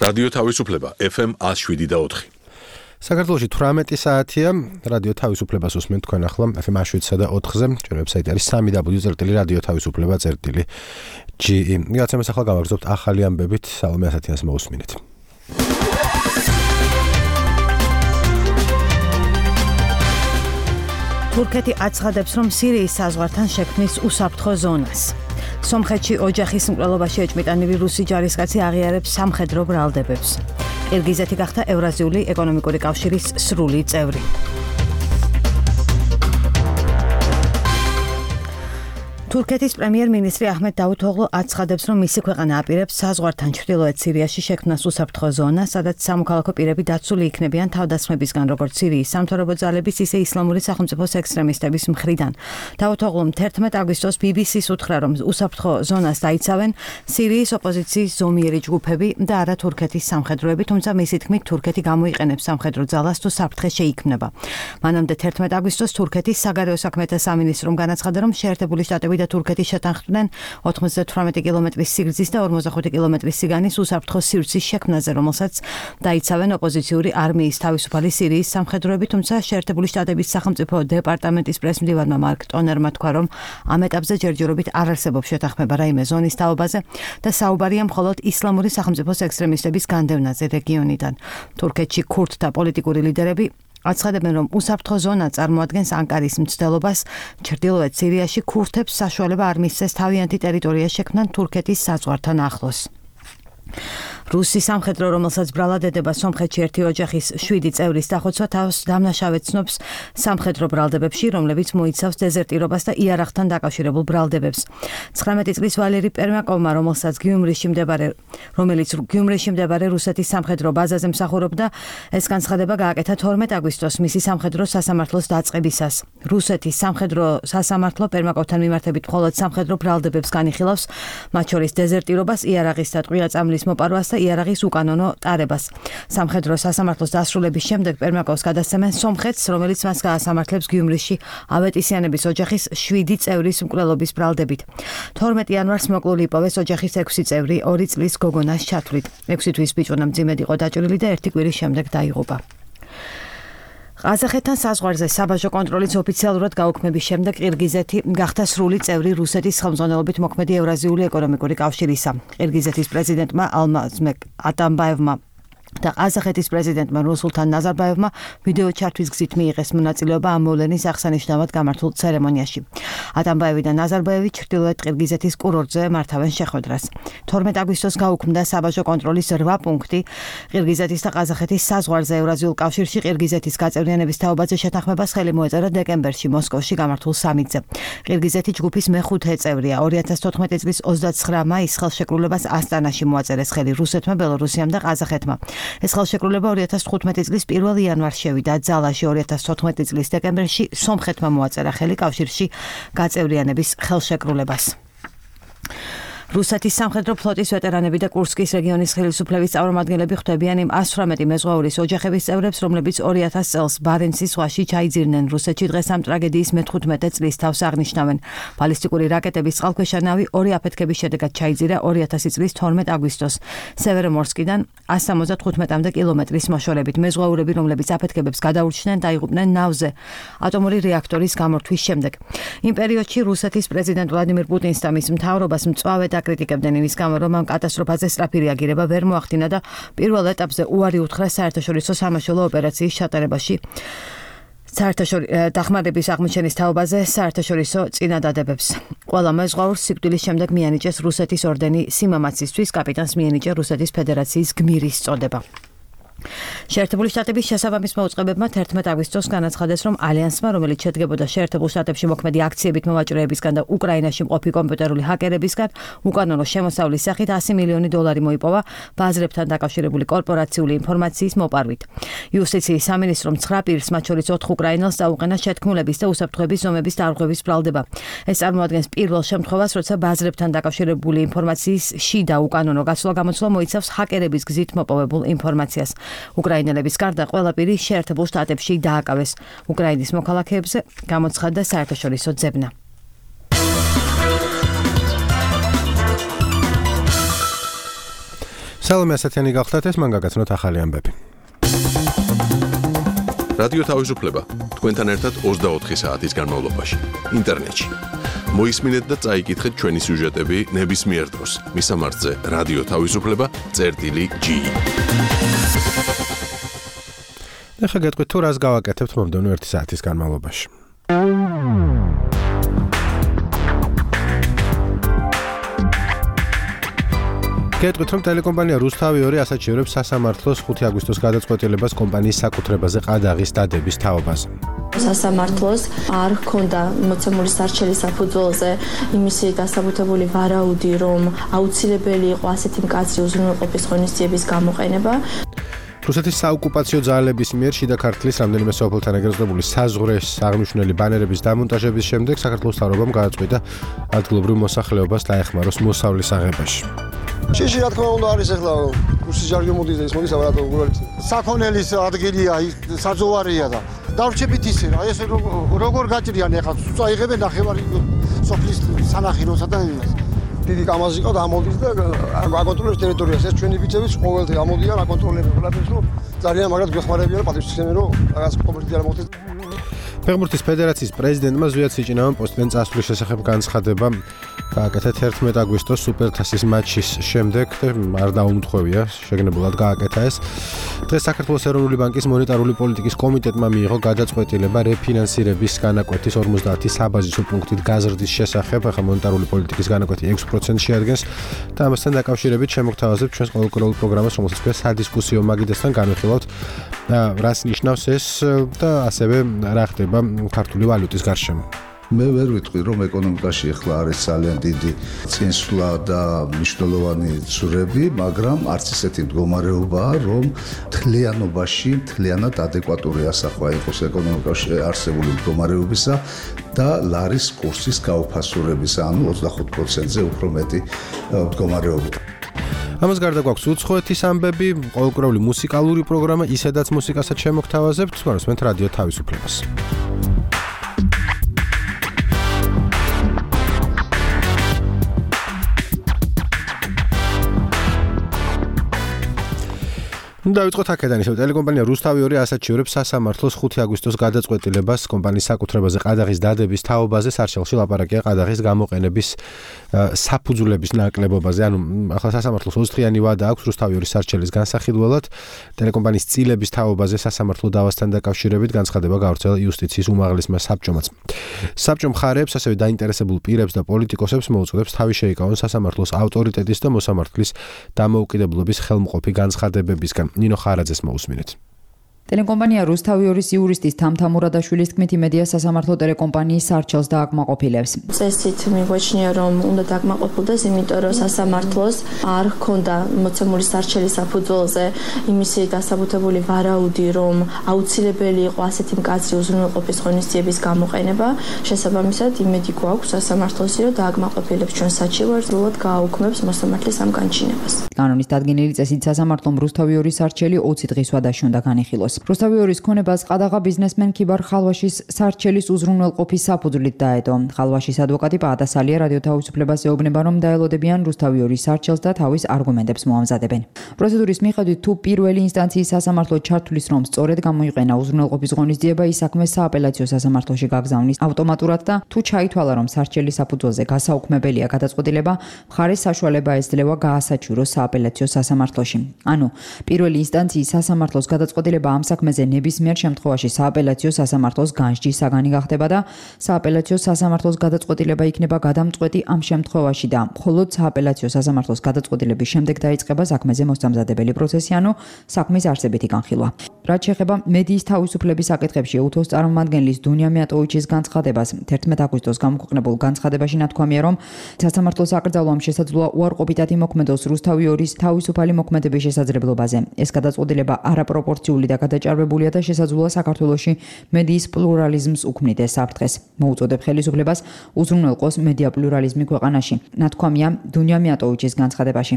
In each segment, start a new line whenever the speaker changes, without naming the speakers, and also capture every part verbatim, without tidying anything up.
რადიო თავისუფლება F M one oh seven და four.
საქართველოში თვრამეტი საათია, რადიო თავისუფლებას უსმენთ თქვენ ახლა F M one oh seven და four-ზე, ჩვენ ვებსაიტი არის three w წერტილი რადიო თავისუფლება წერტილი G E. მიგაცემს ახლა გავაგრძობთ ახალი ამბებით, სალომე ასათიანს მოусმინეთ.
თურქეთი აცხადებს, რომ სირიის საზღვართან შექმნის უსაფრთხო ზონას. სომხეთში ოჯახის მკვლელობაში ეჭმიტანილი რუსი ჯარისკაცი აღიარებს სამხედრო ბრალდებებს. ყირგიზეთი გახდა ევრაზიული ეკონომიკური კავშირის სრული წევრი. თურქეთის პრემიერ-მინისტრი აჰმედ დავუთოღლუ აცხადებს, რომ მისი ქვეყანა აპირებს საზღვართან ჩრდილოეთ სირიაში შექმნას უსაფრთხო ზონა, სადაც სამოქალაქო პირები დაცული იქნებიან თავდასხმებისგან, როგორც სირიის სამთავრობო ძალების, ისე ისლამური სახელმწიფოს ექსტრემისტების მხრიდან. დავუთოღლუმ თერთმეტ აგვისტოს B B C-ს უთხრა, რომ უსაფრთხო ზონას დაიცავენ სირიის ოპოზიციის ზომიერი ჯგუფები და არა თურქეთის სამხედროები, თუმცა მისი თქმით თურქეთი გამოიყენებს სამხედრო ძალას თუ საფრთხე შეიქმნება. მანამდე თერთმეტ აგვისტოს თურქეთის საგარეო საქმეთა სამინისტრომ განაცხადა, რომ შეერთებული შტატები და თურქეთი შეთანხმდნენ ოცდაოთხ კილომეტრის სიგრძის და ორმოცდახუთი კილომეტრის სიგანის უსაფრთხო სივრცის შექმნაზე, რომელსაც დაიცავენ ოპოზიციური არმიის თავისუფალი სირიის სამხედროები, თუმცა შეერთებული შტატების სახელმწიფო დეპარტამენტის პრესმდივარმა მარკ ტონერმა თქვა, რომ ამ ეტაპზე ჯერჯერობით არ არსებობს შეთანხმება რაიმე ზონის თაობაზე და საუბარია მხოლოდ ისლამური სახელმწიფოს ექსტრემისტების განდევნაზე რეგიონიდან. თურქეთში ქურთთა პოლიტიკური ლიდერები აცხადებენ, რომ უსაფრთხო ზონა წარმოადგენს ანკარის მცდელობას ჩრდილოეთ სირიაში ქურთებს საშუალება არ მისცეს თავიანთი ტერიტორია შექმნან თურქეთის საზღვართან ახლოს. რუსი სამხედრო, რომელსაც ბრალად ედება სომხეთში ერთი ოჯახის შვიდი წევრის დახოცვა, თავს დამნაშავედ ცნობს სამხედრო ბრალდებებში, რომლებიც მოიცავს დეზერტირობას და იარაღთან დაკავშირებულ ბრალდებებს. ცხრამეტი წლის ვალერი პერმაკოვმა, რომელსაც გიუმრიში მდებარე, რომელიც გიუმრიში მდებარე რუსეთის სამხედრო ბაზაზე მსახურობდა, ეს განცხადება გააკეთა თორმეტ აგვისტოს მისი სამხედრო სასამართლოს დაწყებისას. რუსეთის სამხედრო სასამართლო პერმაკოვთან მიმართებით მხოლოდ სამხედრო ბრალდებებს განიხილავს, მათ შორის დეზერტირობას, იარაღის და ტყვია წამლის მოპარვას და იარაღის უკანონო ტარებას. სამხედრო სასამართლოს დასრულების შემდეგ პერმაკოვს გადასცემენ სომხეთს, რომელიც მას გაასამართლებს გიუმრიში ავეტისიანების ოჯახის შვიდი წევრის მკვლელობის ბრალდებით. თორმეტ იანვარს მოკლული იპოვეს ოჯახის ექვსი წევრი ორი წლის გოგონას ჩათვლით. ექვსი თვის ბიჭუნა მძიმედ იყო დაჭრილი და ერთი კვირის შემდეგ დაიღუპა. ყაზახეთთან საზღვარზე საბაჟო კონტროლის ოფიციალურად გაუქმების შემდეგ ყირგიზეთი გახდა სრული წევრი რუსეთის ხელმძღვანელობით მოქმედი ევრაზიული ეკონომიკური კავშირისა. ყირგიზეთის პრეზიდენტმა ალმაზბეკ ატამბაევმა და ყაზახეთის პრეზიდენტმა ნურსულთან ნაზარბაევმა ვიდეო ჩართვის გზით მიიღეს მონაწილეობა ამ მოვლენის აღსანიშნავად გამართულ ცერემონიაში. ატამბაევი და ნაზარბაევი ჩრდილოეთ ყირგიზეთის კურორტზე მართავენ შეხვედრას. თორმეტ აგვისტოს გაუქმდა საბაჟო კონტროლის რვა პუნქტი ყირგიზეთის და ყაზახეთის საზღვარზე ევრაზიულ კავშირში. ყირგიზეთის გაწევრიანების თაობაზე შეთანხმებას ხელი მოეწერა დეკემბერში მოსკოვში გამართულ სამიტზე. ყირგიზეთი ჯგუფის მეხუთე წევრია. ორი ათას თოთხმეტი წლის ოცდაცხრა მაისს ხელშეკრულებას ასტანაში მოაწერეს ხელი რუსეთმა, ბელორუსიამ და ყაზახეთმა. ეს ხელშეკრულება ორი ათას თხუთმეტი წლის პირველ იანვარს შევიდა ძალაში. ორი ათას თოთხმეტი წლის დეკემბერში სომხეთმა მოაწერა ხელი კავშირში გაწევრიანების ხელშეკრულებას. რუსეთის სამხედრო ფლოტის ვეტერანები და კურსკის რეგიონის ხელისუფლების წარმომადგენლები ხვდებიან იმ ას თვრამეტი მეზღვაურის ოჯახების წევრებს, რომლებიც ორი ათას წელს ბარენცის ზღვაში ჩაიძირნენ. რუსეთში დღეს ამ ტრაგედიის მეთხუთმეტე წლის თავს აღნიშნავენ. ბალისტიკური რაკეტების წყალქვეშა ნავი ორი აფეთქების შედეგად ჩაიძირა ორი ათასი წლის თორმეტ აგვისტოს სევერომორსკიდან ას სამოცდათხუთმეტ კილომეტრის მოშორებით. მეზღვაურები, რომლებიც აფეთქებებს გადაურჩნენ, დაიღუპნენ ნავზე ატომური რეაქტორის გამორთვის შემდეგ. იმ პერიოდში რუსეთის პრეზიდენტ ვლადიმირ პუტინს და მის მთავრობას მწვავე აკრიტიკებდნენ იმის გამო, რომ ამ კატასტროფაზე სწრაფი რეაგირება ვერ მოახდინა და პირველ ეტაპზე უარი უთხრა საერთაშორისო სამაშველო ოპერაციის ჩატარებაში. საერთაშორისო დახმარების აღმოჩენის თაობაზე საერთაშორისო წინადადებებს. ყველა მეზღვაურს სიკვდილის შემდეგ მიანიჭეს რუსეთის ორდენი სიმამაცისთვის, კაპიტანს მიანიჭა რუსეთის ფედერაციის გმირის წოდება. შეერთებული შტატების შესაბამის მოუწყებებმა თერთმეტ აგვისტოს განაცხადეს, რომ ალიანსმა, რომელიც შედგებოდა შეერთებულ შტატებში მოქმედი აქციებით მოვაჭრეებისგან და უკრაინაში მყოფი კომპიუტერული ჰაკერებისგან, უკანონო შემოსავლის სახით ასი მილიონი დოლარი მოიპოვა ბაზრებთან დაკავშირებული კორპორაციული ინფორმაციის მოპარვით. იუსტიციის სამინისტრომ ცხრა პირს, მათ შორის ოთხ უკრაინელს დაუყენა შეთქმულების და უსაფრთხოების ზომების დარღვევის ბრალდება. ეს წარმოადგენს პირველ შემთხვევას, როცა ბაზრებთან დაკავშირებული ინფორმაციის შიდა უკანონო გაცვლა-გამოცვლა მოიცავს ჰაკერების გზით მოპოვებულ ინფორმაციას. უკრაინელების გარდა ყველა პირი შეერთებულ შტატებში დააკავეს. უკრაინის მოქალაქეებზე გამოცხადდა საერთაშორისო ძებნა.
სალომე ასათიანი გახდათ, ეს მან გაგაცნოთ ახალი ამბები.
რადიო თავისუფლება თქვენთან ერთად ოცდაოთხი საათის განმავლობაში ინტერნეტში. მოისმინეთ და წაიკითხეთ ჩვენი სიუჟეტები ნებისმიერ დროს. მისამართზე რადიო თავისუფლება წერტილი ჯი.
ეხლა გეტყვით თუ რას გავაკეთებთ მომდევნო ერთი საათის განმავლობაში. გეტყვით რომ ტელეკომპანია რუსთავი ორი ასაჩივრებს სასამართლოს ხუთი აგვისტოს გადაწყვეტილებას კომპანიის საკუთრებაზე ყადაღის დადების თაობაზე.
სასამართლოს არ ჰქონდა მოცემული სარჩელის საფუძველზე იმისი დასაბუთებული ვარაუდი, რომ აუცილებელი იყო ასეთი მკაცრი უზრუნველყოფის ღონისძიების გამოყენება.
რუსეთის საოკუპაციო ძალების მიერ შიდა ქართლის რამდენიმე სოფელთან ეგრეზრდებული საზღვრების აღნიშნული ბანერების დამონტაჟების შემდეგ საქართველოს მთავრობამ გააწყვიტა ადგილობრივ მოსახლეობას დაეხმაროს მოსავლის აღებაში.
შეში რა თქმა უნდა არის ახლა რუსი ჟარგო მოდის ეს მოდის აბა საქონელის ადგილია საძოვარია და დავრჩებით ისე რა ეს როგორ გაჭრიან ახლა წაიღებენ ნახევარი სოფლის სანახიროსა და დიდი კამაზი ყავ და ამოდის და აკონტროლებს ტერიტორიას ეს ჩვენი ბიჭებიც ყოველთვის ამოდიან აკონტროლებენ ყველაფერს რომ ძალიან მაგრად გვეხმარებიან პატრიოტიზმი რომ რაღაც კომპლექტი არ მოხდეს.
ფეხბურთის ფედერაციის პრეზიდენტმა ზვიად სიჭინავენ პოსტიდან წასვლის შესახებ განცხადება გააკეთა თერთმეტი აგვისტოს სუპერთასის მატჩის შემდეგ და არ დაუმთხოვია შეგნებულად გააკეთა ეს. დღეს საქართველოს ეროვნული ბანკის მონეტარული პოლიტიკის კომიტეტმა მიიღო გადაწყვეტილება რეფინანსირების განაკვეთის ორმოცდაათი საბაზისო პუნქტით გაზრდის შესახებ. ახლა მონეტარული პოლიტიკის განაკვეთი ექვს პროცენტს შეადგენს და ამასთან დაკავშირებით შემოგთავაზებთ ჩვენს ყოველკვირეულ პროგრამას, რომელსაც ქვია სადისკუსიო მაგიდასთან განვიხილავთ რას ნიშნავს ეს და ასევე რა ხდება ქართული ვალუტის გარშემო.
მე ვერ ვიტყვი რომ ეკონომიკაში ახლა არის ძალიან დიდი წინსვლა და მნიშვნელოვანი ცურები, მაგრამ არც ისეთი მდგომარეობაა, რომ თლიანობაში თლიანად ადეკვატური ასახვა იყოს ეკონომიკაში არსებული მდგომარეობისა და ლარის კურსის გაუფასურებისა, ანუ ოცდახუთ პროცენტზე უფრო მეტი მდგომარეობით.
ამას გარდა გვაქვს უცხოეთის ამბები, ყოველკვირეული მუსიკალური პროგრამა, ისედაც მუსიკასაც შემოგთავაზებთ, მოსმენთ რადიო თავისუფლებას. დავიწყოთ აქედან ისევ ტელეკომპანია რუსთავი ორი ასაჩივრებს სასამართლოს ხუთი აგვისტოს გადაწყვეტილებას კომპანიის საკუთრებაზე ყადაღის დადების თაობაზე. სარჩელში ლაპარაკია ყადაღის გამოყენების საფუძვლების ნაკლებობაზე. ანუ ახლა სასამართლოს ოცდრიანი ვადა აქვს რუსთავი ორი სარჩელის განსახილველად. ტელეკომპანიის წილების თაობაზე სასამართლო დავასთან დაკავშირებით განცხადება გავრცელა იუსტიციის უმაღლესმა საბჭომაც. საბჭო მხარეებს, ასევე დაინტერესებულ პირებს და პოლიტიკოსებს მოუწოდებს თავი შეიკავონ სასამართლოს ავტორიტეტის და მოსამართლის დამოუკიდებლობის ხელმყოფი განცხადებებისგან. ნინო ხარაძეს მოусმინეთ.
ტელეკომპანია რუსთავი ორის იურისტის თამთა მურადაშვილის თქმით იმედია სასამართლო ტელეკომპანიის სარჩელს დააკმაყოფილებს.
წესით მიგვაჩნია რომ უნდა დააკმაყოფილდეს, იმიტომ რომ სასამართლოს არ ჰქონდა მოცემული სარჩელის საფუძველზე იმისი დასაბუთებული ვარაუდი, რომ აუცილებელი იყო ასეთი მკაცრი უზრუნველყოფის ღონისძიების გამოყენება. შესაბამისად, იმედი გვაქვს სასამართლოსი, რომ დააკმაყოფილებს ჩვენ საჩივარს, სრულად გააუქმებს მოსამართლის ამ განჩინებას.
კანონის დადგენილი წესით სასამართლომ რუსთავი ორის სარჩელი ოცი დღის ვადაში უნდა განიხილოს. რუსთავი ორის ქონებას ყადაღა ბიზნესმენ ქიბარ ხალვაშის სარჩელის უზრუნველყოფის საფუძვლით დაედო. ხალვაშის ადვოკატი პაადასალია რადიო თავისუფლებას ეუბნება, რომ დაელოდებიან რუსთავი ორის სარჩელს და თავის არგუმენტებს მოამზადებენ. პროცედურის მიხედვით თუ პირველი ინსტანციის სასამართლო ჩართulis რომ სწორედ გამოიყენა უზრუნველყოფის ღონისძიება, ის საქმე სააპელაციო სასამართლოში გაგზავნის ავტომატურად და თუ ჩაითვალა რომ სარჩელის საფუძველზე გასაუქმებელია გადაწყვეტილება, მხარეს საშუალება ეძლევა გაასაჩივროს სააპელაციო სასამართლოში. ანუ პირველი ინსტანციის სასამართლოს გადაწყვეტილება ამ საქმეზე ნებისმიერ შემთხვევაში სააპელაციო სასამართლოს განსჯის საგანი გახდება და სააპელაციო სასამართლოს გადაწყვეტილება იქნება გადამწყვეტი ამ შემთხვევაში და მხოლოდ სააპელაციო სასამართლოს გადაწყვეტილების შემდეგ დაიწყება საქმეზე მოსამზადებელი პროცესი, ანუ საქმის არსებითი განხილვა. რაც შეეხება მედიის თავისუფლების საკითხებში ეუთოს წარმომადგენლის დუნია მიატოვიჩის განცხადებას, თერთმეტი აგვისტოს გამოქვეყნებულ განცხადებაში ნათქვამია, რომ სასამართლოს აკრძალვამ შესაძლოა უარყოფითად იმოქმედოს რუსთავი ორის თავისუფალი მოქმედების შესაძლებლობაზე. ეს გადაწყვეტილება არაპროპორციული და დაეჭარბებულია და შესაძლოა საქართველოში მედიის პლურალიზმს უქმნიდეს საფრთხეს. მოუწოდებ ხელისუფლებას უზრუნველყოს მედია პლურალიზმი ქვეყანაში. ნათქვამია დუნია მიატოვიჩის განცხადებაში.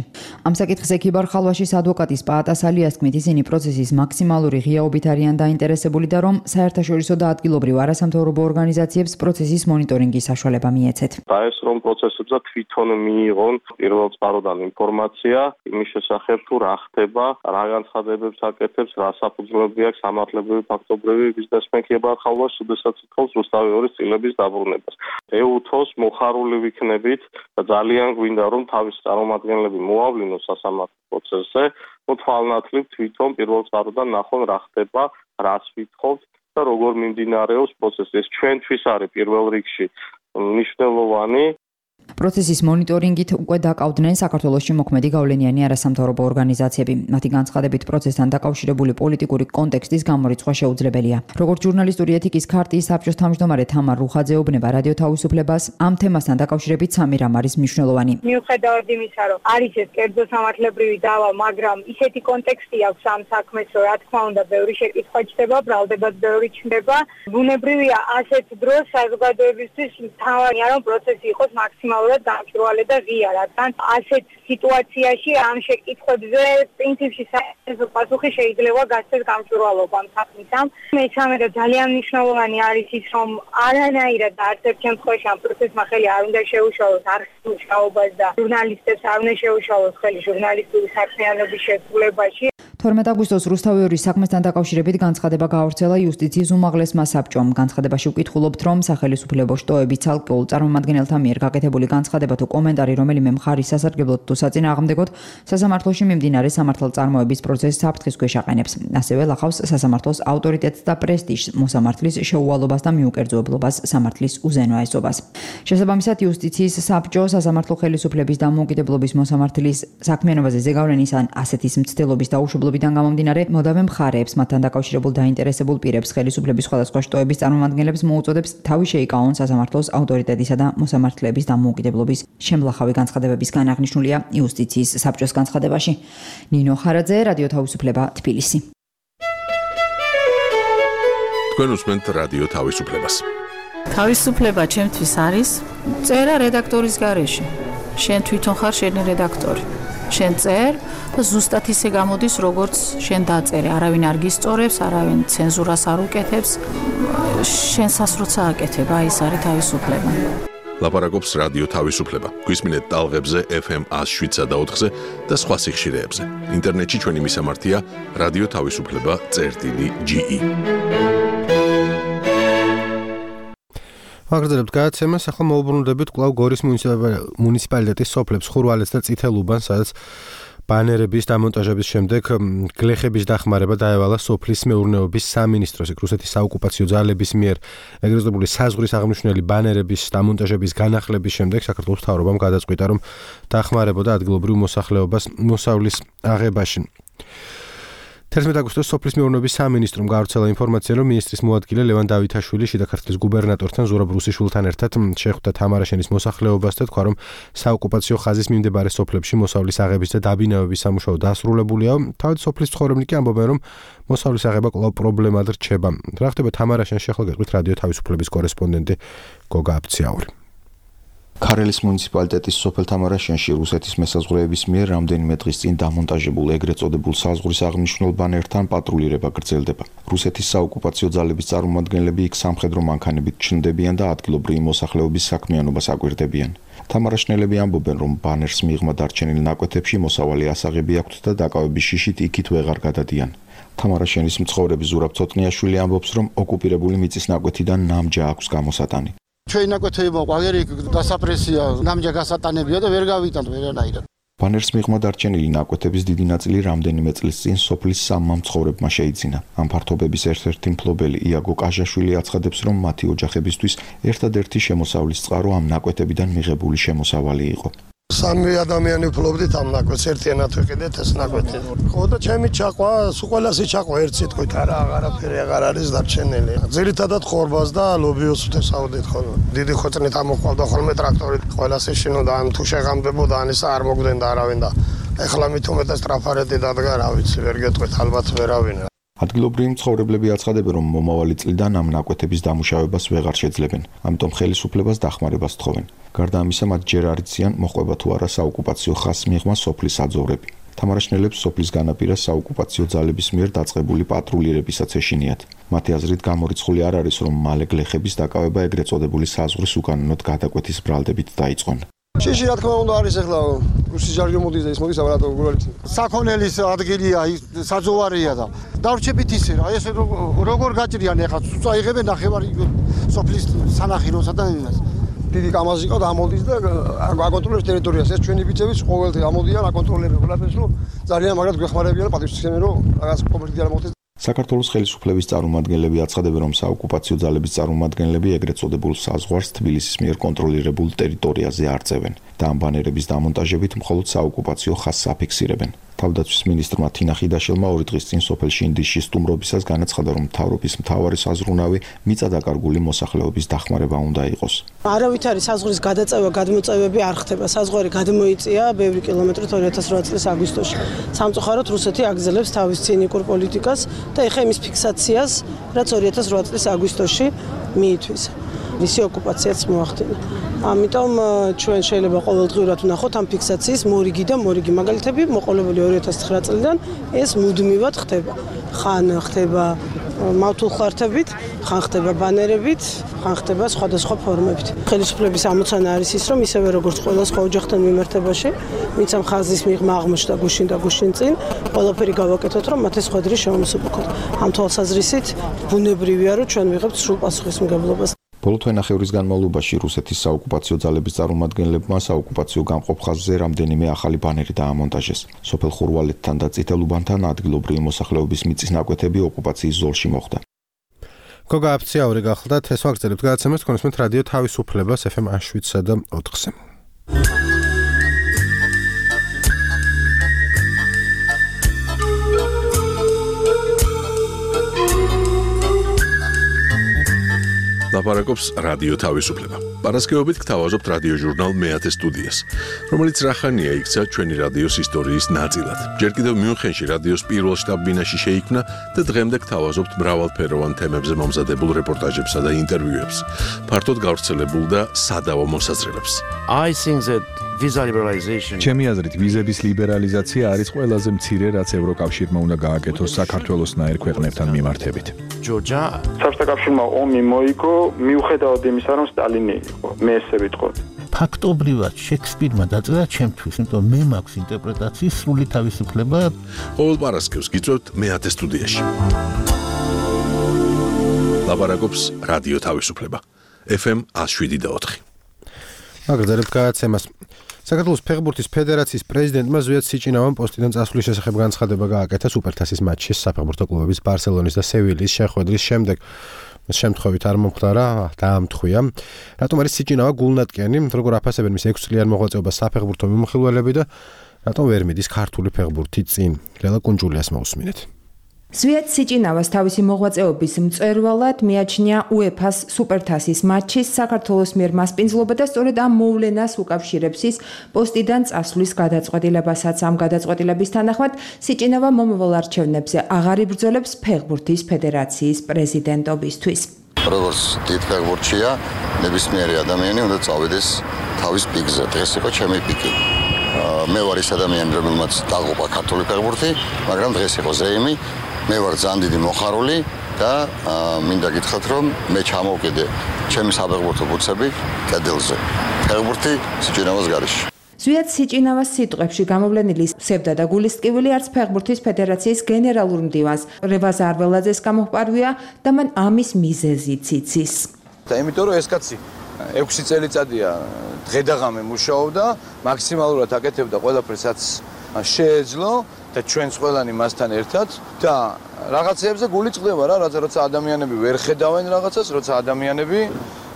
ამ საკითხზე ქიბარ ხალვაშის ადვოკატის პაატას ალიას თქმით, ისინი პროცესის მაქსიმალური ღიაობით არიან დაინტერესებული და რომ საერთაშორისო და ადგილობრივ არასამთავრობო ორგანიზაციებს პროცესის მონიტორინგის საშუალება მიეცეთ.
ეს რომ პროცესებზე თვითონ მიიღონ პირველ წყაროდან ინფორმაცია იმის შესახებ თუ რა ხდება, რა განცხადებებს აკეთებს, რა საფუძვლები აქვს სამართლებრივი ფაქტობრივი ბიზნესმენ ქიბარ ხალვაშს, უდესაც ითხოვს რუსთავი ორის წილების დაბრუნებას. ეუთოს მოხარული ვიქნებით და ძალიან გვინდა რომ თავის წარმომადგენლები მოავლინოს სასამართლო პროცესზე, ну თვალნათლივ თვითონ პირველ წყაროდან ნახონ რა ხდება, რას ვითხოვთ და როგორ მიმდინარეობს პროცესი. ეს ჩვენთვის არის პირველ რიგში მნიშვნელოვანი.
პროცესის მონიტორინგით უკვე დაკავდნენ საქართველოში მოქმედი გავლენიანი არასამთავრობო ორგანიზაციები. მათი განცხადებით პროცესთან დაკავშირებული პოლიტიკური კონტექსტის გამორიცხვა შეუძლებელია. როგორც ჟურნალისტური ეთიკის ქარტიის საბჭოს თავმჯდომარე თამარ რუხაძე ეუბნება რადიო თავისუფლებას, ამ თემასთან დაკავშირებით სამი რამ არის მნიშვნელოვანი.
მიუხედავად იმისა, რომ არის ეს კერძო სამართლებრივი დავა, მაგრამ ისეთი კონტექსტი აქვს ამ საქმეს, რომ რა თქმა უნდა, ბევრი შეკითხვა ჩდება, ბრალდებაც ბევრი ჩნდება. ბუნებრივია ასეთ დროს საზოგადოებისთვის მთავარია, რომ პროცესი იყოს მაქსიმალურად დამჭირვალე და ღია, რადგან ასეთ სიტუაციაში ამ შეკითხვებზე პრინციპში საერთო პასუხი შეიძლება გასცეს გამჭვირვალობამ საქმისამ. მესამე და ძალიან მნიშვნელოვანი არის ის, რომ არანაირად არც ერთ შემთხვევაში ამ პროცესმა ხელი არ უნდა შეუშალოს არქივულ მუშაობას და ჟურნალისტებს არ უნდა შეუშალოს ხელი ჟურნალისტური საქმიანობის შესრულებაში.
თორმეტ აგვისტოს რუსთავი ორის საქმესთან დაკავშირებით განცხადება გაავრცელა იუსტიციის უმაღლესმა საბჭომ. განცხადებაში ვკითხულობთ, რომ სახელმწიფო შტოების ცალკეულ წარმომადგენელთა მიერ გაკეთებული განცხადება თუ კომენტარი, რომელიმე მხარის სასარგებლოდ თუ საწინააღმდეგოდ, სასამართლოში მიმდინარე სამართალწარმოების პროცესს საფრთხის ქვეშ აყენებს. ასევე ლახავს სასამართლოს ავტორიტეტს და პრესტიჟს, მოსამართლის შეუვალობას და მიუკერძოებლობას, სამართლის უზენაესობას. შესაბამისად, იუსტიციის საბჭო სასამართლო ხელისუფლების დამოუკიდებლობის მოსამართლის საქმიანობაზე ზეგავლენის ან ასეთის მცდელობის დაუშვებლობიდან გამომდინარე, მოდავე მხარეებს, მათთან დაკავშირებულ დაინტერესებულ პირებს, ხელისუფლების სხვადასხვა შტოების წარმომადგენლებს მოუწოდებს თავი შეიკავონ სასამართლოს ავტორიტეტისა და მოსამართლეების დამოუკიდებლობის შემლახავი განცხადებების განაღნიშნულია იუსტიციის საბჭოს განცხადებაში. ნინო ხარაძე, რადიო თავისუფლება, თბილისი.
თქვენ უსმენთ რადიო თავისუფლებას.
თავისუფლება ჩემთვის არის წერა რედაქტორის გარეშე. შენ თვითონ ხარ შენი რედაქტორი. შენ წერ და ზუსტად ისე გამოდის, როგორც შენ დაწერე. არავინ არ გისწორებს, არავინ ცენზურას არ უკეთებს. შენსას როცა აკეთებ, აი ეს არის თავისუფლება.
ლაპარაკობს რადიო თავისუფლება. გვისმინეთ ტალღებზე ეფ ემ one oh seven და four და სხვა სიხშირეებზე. ინტერნეტში ჩვენი მისამართია რადიო თავისუფლება წერტილი ჯი ი.
ვაგრძელებთ გადაცემას, ახლა მოვუბრუნდებით კვლავ გორის მუნიციპალიტეტის სოფლებს ხურვალეთს და წითელუბანს, სადაც ბანერების დამონტაჟების შემდეგ გლეხების დახმარება დაევალა სოფლის მეურნეობის სამინისტროს. რუსეთის საოკუპაციო ძალების მიერ ეგრეზებული საზღვრის აღნიშნული ბანერების დამონტაჟების განახლების შემდეგ საქართველოს მთავრობამ გადაწყვიტა, რომ დახმარებოდა ადგილობრივ მოსახლეობას მოსავლის აღებაში. თერთმეტ აგვისტოს სოფლის მეურნეობის სამინისტრომ გაავრცელა ინფორმაცია, რომ მინისტრის მოადგილე ლევან დავითაშვილი შიდა ქართლის გუბერნატორთან ზურაბ რუსიშვილთან ერთად შეხვდა თამარაშენის მოსახლეობას და თქვა, რომ საოკუპაციო ხაზის მიმდებარე სოფლებში მოსავლის აღების და დაბინავების სამუშაო დასრულებულია. თავად სოფლის მცხოვრებლები კი ამბობენ, რომ მოსავლის აღება კვლავ პრობლემად რჩება. რა ხდება თამარაშენში, ახლა გეტყვით რადიო თავისუფლების კორესპონდენტი გოგა აფციაური.
ქარელის მუნიციპალიტეტის სოფელ თამარაშენში რუსეთის მესაზღვრეების მიერ რამდენიმე დღის წინ დამონტაჟებულ ეგრეთ წოდებულ საზღვრის აღნიშნულ ბანერთან პატრულირება გრძელდება. რუსეთის საოკუპაციო ძალების წარმომადგენლები იქ სამხედრო მანქანებით ჩნდებიან და ადგილობრივი მოსახლეობის საქმიანობას აკვირდებიან. თამარაშნელები ამბობენ, რომ ბანერს მიღმა დარჩენილ ნაკვეთებში მოსავალი ასაღები აქვთ და დაკავების შიშით იქით ვეღარ გადადიან. თამარაშენის მცხოვრები ზურაბ ცოტნიაშვილი ამბობს, რომ ოკუპირებული მიწის ნაკვეთიდან ნამჯა აქვს გამოსატანი.
ჩვენი ნაკვეთები ყველერი დასაპრესია, ნამჯა გასატანებია და ვერ გავიტანთ ვერანაირად.
ბანერს მიღმა დარჩენილი ნაკვეთების დიდი ნაწილი რამდენიმე წლის წინ სოფლის სამმა მცხოვრებმა შეიძინა. ამ ფართობების ერთ-ერთი მფლობელი იაგო კაჟაშვილი აცხადებს, რომ მათი ოჯახებისთვის ერთადერთი შემოსავლის წყარო ამ ნაკვეთებიდან მიღებული შემოსავალი იყო.
სამი ადამიანი ვფლობდით ამ ნაკვეთს, ერთიანად ვიყიდეთ ეს ნაკვეთი. ხო და ჩემი ჩაყვა, სულ ყველასი ჩაყვა ერთ სიტყვით, არა აღარაფერი აღარ არის დარჩენილი. ძირითადად ხორბას და ლობიოს ვთესავდით ხოლმე. დიდი ხოწნით ამოყავდა ხოლმე ტრაქტორით, ყველასი შინოდა, ან თუ შეღამდებოდა, ან ისა არ მოგდენდა არავინ და ეხლა მით უმეტეს ტრაფარეთი დადგა, რა ვიცი, ვერ გეტყვით, ალბათ ვერავინ.
ადგილობრივი მცხოვრებლები აცხადებენ, რომ მომავალი წლიდან ამ ნაკვეთების დამუშავებას ვეღარ შეძლებენ, ამიტომ ხელისუფლებას დახმარებას თხოვენ. გარდა ამისა, მათ ჯერ არ იციან, მოხდება თუ არა საოკუპაციო ხაზს მიღმა სოფლის საძოვრები. თამარაშნელებს სოფლის განაპირას საოკუპაციო ძალების მიერ დაწყებული პატრულირებისაც ეშინიათ. მათი აზრით გამორიცხული არ არის, რომ მალე გლეხების დაკავება ეგრეთ წოდებული საზღვრის უკანონოდ გადაკვეთის ბრალდებით დაიწყონ.
შეში რა თქმა უნდა არის ახლა რუსი ჯარი მოდის და ის მოდის აბა საქონელის ადგილია, საძოვარია და დავრჩებით ისე რა, ეს როგორ გაჭრიან ახლა წაიღებენ ნახევარი სოფლის სანახიროსა და იმას. დიდი კამაზი ყავდა ამოდის და აკონტროლებს ტერიტორიას. ეს ჩვენი ბიჭებიც ყოველდღე ამოდიან, აკონტროლებენ ყველაფერს, რომ ძალიან მაგათ გვეხმარებიან პატივსაცემი, რომ რაღაც კონფლიქტი არ მოხდეს.
საქართველოს ხელისუფლების წარმომადგენლები აცხადებენ, რომ საოკუპაციო ძალების წარმომადგენლები ეგრეთ წოდებულ საზღვარს თბილისის მიერ კონტროლირებულ ტერიტორიაზე არწევენ და ამ ბანერების დამონტაჟებით მხოლოდ საოკუპაციო ხაზს აფიქსირებენ. თავდაცვის მინისტრმა თინა ხიდაშელმა ორი დღის წინ სოფელ შინდიში სტუმრობისას განაცხადა, რომ მთავრობის მთავარი საზრუნავი მიწადაკარგული მოსახლეობის დახმარება უნდა იყოს.
არავით არის საზღვრის გადაწევა, გადმოწევები არ ხდება. საზღვარი გადმოიწია ბევრი კილომეტრით ორი ათას რვა წლის აგვისტოში. სამწუხაროდ რუსეთი აგრძელებს თავის ცინიკურ პოლიტიკას და ეხა იმის ფიქსაციას, რაც ორი ათას რვა წლის აგვისტოში მიითვისა. მისი ოკუპაციაც მოახდინა. ამიტომ ჩვენ შეიძლება ყოველდღიურად ვნახოთ ამ ფიქსაციის მორიგი და მორიგი მაგალითები მოყოლებული ორი ათას ცხრა წლიდან ეს მუდმივად ხდება. ხან ხდება მავთულხლართებით, ხან ხდება ბანერებით, ხან ხდება სხვადასხვა ფორმებით. ხელისუფლების ამოცანა არის ის, რომ ისევე როგორც ყველა სხვა ოჯახთან მიმართებაში, ვინც ამ ხაზის მიღმა აღმოჩნდა გუშინ და გუშინ წინ, ყველაფერი გავაკეთოთ, რომ მათ ეს ხვედრი შემოსუპყოთ. ამ თვალსაზრისით ბუნებრივია, რომ ჩვენ ვიღებთ სრულ პასუხისმგებლობას.
ბოლო თვენახევრის განმავლობაში რუსეთის საოკუპაციო ძალების წარმომადგენლებმა საოკუპაციო გამყოფ ხაზზე რამდენიმე ახალი ბანერი დაამონტაჟეს. სოფელ ხურვალეთთან და წითელუბანთან ადგილობრივი მოსახლეობის მიწის ნაკვეთები ოკუპაციის ზოლში მოხვდა.
გოგა აფციაური გახლდათ, ეს ვაგრძელებთ გადაცემას თქვენსმენთ რადიო თავისუფლებას ეფ ემ შვიდსა და ოთხზე.
ლაპარაკობს რადიო თავისუფლება. პარასკევობით გთავაზობთ რადიო ჟურნალ მეათე სტუდიას, რომელიც რახანია იქცა ჩვენი რადიოს ისტორიის ნაწილად. ჯერ კიდევ მიუნხენში რადიოს პირველ შტაბ-ბინაში შეიქმნა და დღემდე გთავაზობთ მრავალფეროვან თემებზე მომზადებულ რეპორტაჟებსა და ინტერვიუებს, ფართოდ გავრცელებულ და სადავო მოსაზრებებს.
I think that visa liberalization
ჩემი აზრით ვიზების ლიბერალიზაცია არის ყველაზე მცირე, რაც ევროკავშირმა უნდა გააკეთოს საქართველოსნაირ ქვეყნებთან მიმართებით.
Georgia
საბჭოთა კავშირმა ომი მოიგო მიუხედავად იმისა, რომ სტალინი იყო. მე ესე ვიტყოდი.
ფაქტობრივად შექსპირმა დაწერა ჩემთვის, იმიტომ მე მაქვს ინტერპრეტაციის სრული თავისუფლება.
ყოველ პარასკევს გიწევთ მეათე სტუდიაში. ლაპარაკობს რადიო თავისუფლება. ეფ ემ შვიდ და ოთხი.
აგრძელებთ გადაცემას. საქართველოს ფეხბურთის ფედერაციის პრეზიდენტმა ზვიად სიჭინავამ პოსტიდან წასვლის შესახებ განცხადება გააკეთა სუპერთასის მატჩის საფეხბურთო კლუბების ბარსელონის და სევილიის შეხვედრის შემდეგ. შემთხვევით არ მომხდარა, დაამთხვია. რატომ არის სიჭინავა გულნატკენი, როგორ აფასებენ მის ექვსი წლიან მოღვაწეობას საფეხბურთო მიმოხილველები და რატომ ვერ მიდის ქართული ფეხბურთი წინ? ლელა კუნჯულიას მოусმინეთ.
ზვიად სიჭინავას თავისი მოღვაწეობის მწვერვალად მიაჩნია უეფას სუპერთასის მატჩის საქართველოს მიერ მასპინძლობა და სწორედ ამ მოვლენას უკავშირებს ის პოსტიდან წასვლის გადაწყვეტილებასაც. ამ გადაწყვეტილების თანახმად სიჭინავა მომავალ არჩევნებზე აღარ იბრძოლებს ფეხბურთის ფედერაციის პრეზიდენტობისთვის.
როგორც დიდ ფეხბურთშია, ნებისმიერი ადამიანი უნდა წავიდეს თავის პიკზე. დღეს იყო ჩემი პიკი. მე ვარ ის ადამიანი, რომელმაც დაღუპა ქართული ფეხბურთი, მაგრამ დღეს იყო ზეიმი. მე ვარ ძალიან დიდი მოხარული და მინდა გითხრათ, რომ მე ჩამოვკიდე ჩემი საფეხბურთო ბუცები კედელზე. ფეხბურთი სიჭინავას გარეშე.
ზვიად სიჭინავას სიტყვებში გამოვლენილი სევდა და გულისტკივილი არც ფეხბურთის ფედერაციის გენერალურ მდივანს რევაზ არველაძეს გამოჰპარვია და მან ამის მიზეზიც იცის.
და იმიტომ რომ ეს კაცი ექვსი წელიწადია დღედაღამე მუშაობდა, მაქსიმალურად აკეთებდა ყველაფერს, რაც შეეძლო და ჩვენც ყველანი მასთან ერთად და რაღაცეებზე გული წყდება რა, როცა ადამიანები ვერ ხედავენ რაღაცას, როცა ადამიანები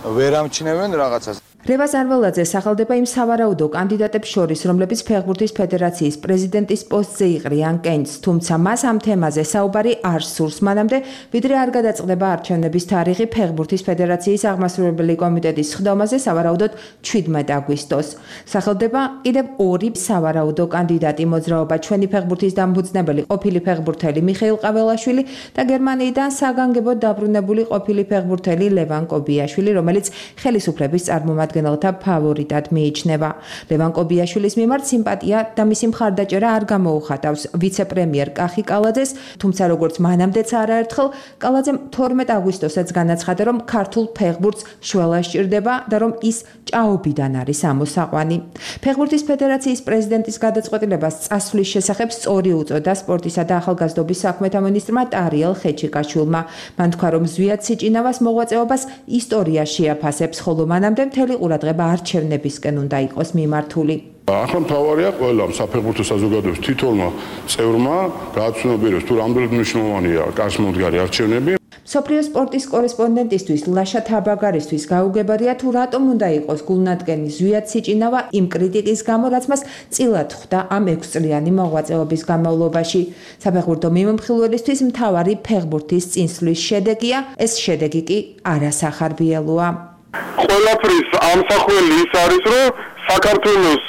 ვერ ამჩნევენ რაღაცას.
რევაზ არველაძე სახელდება იმ სავარაუდო კანდიდატებს შორის, რომლებიც ფეხბურთის ფედერაციის პრეზიდენტის პოსტზე იყრიან კენჭს, თუმცა მას ამ თემაზე საუბარი არ სურს, მანამდე ვიდრე არ გადაწყდება არჩევნების თარიღი ფეხბურთის ფედერაციის აღმასრულებელი კომიტეტის სხდომაზე სავარაუდოდ შვიდმეტ აგვისტოს. სახელდება კიდევ ორი სავარაუდო კანდიდატი მოძრაობა ჩვენი ფეხბურთის დამფუძნებელი ყოფილი ფეხბურთელი მიხეილ ყაველაშვილი და გერმანიიდან საგანგებოდ დაბრუნებული ყოფილი ფეხბურთელი ლევან კობიაშვილი, რომელიც ხელისუფლების წარმომადგენელი გენელთა ფავორიტად მიიჩნევა. ლევან კობიაშვილის მიმართ სიმპათია და მისი მხარდაჭერა არ გამოუხატავს ვიცე-პრემიერ კახი კალაძეს, თუმცა როგორც მანამდეც არაერთხელ კალაძემ თორმეტ აგვისტოსაც განაცხადა, რომ ქართულ ფეხბურთს შველა სჭირდება და რომ ის ჭაობიდან არის ამოსაყვანი. ფეხბურთის ფედერაციის პრეზიდენტის გადაწყვეტილებას წასვლის შესახებ სწორი უწოდა სპორტისა და ახალგაზრდობის საქმეთა მინისტრმა ტარიელ ხეჩიკაშვილმა. მან თქვა, რომ ზვიად სიჭინავას მოღვაწეობას ისტორია შეაფასებს, ხოლო მანამდე მთელი ყურადღება არჩევნებისკენ უნდა იყოს მიმართული.
ახლა მთავარია ყველა საფეხბურთო საზოგადოების თითოეულმა წევრმა გააცნობიეროს თუ რამდენად მნიშვნელოვანია კაშმოდგარი არჩევნები.
სოფლიო სპორტის კორესპონდენტისთვის ლაშა თაბაგარისთვის გაუგებარია თუ რატომ უნდა იყოს გულნადგენი ზვიად სიჭინავა იმ კრიტიკის გამო, რაც მას წილად ხვდა ამ ექვსწლიანი მოღვაწეობის განმავლობაში. საფეხბურთო მიმოხილველისთვის მთავარი ფეხბურთის წინსვლის შედეგია, ეს შედეგი კი არასახარბიელოა.
ყველაფრის ამსახველი ის არის, რომ საქართველოს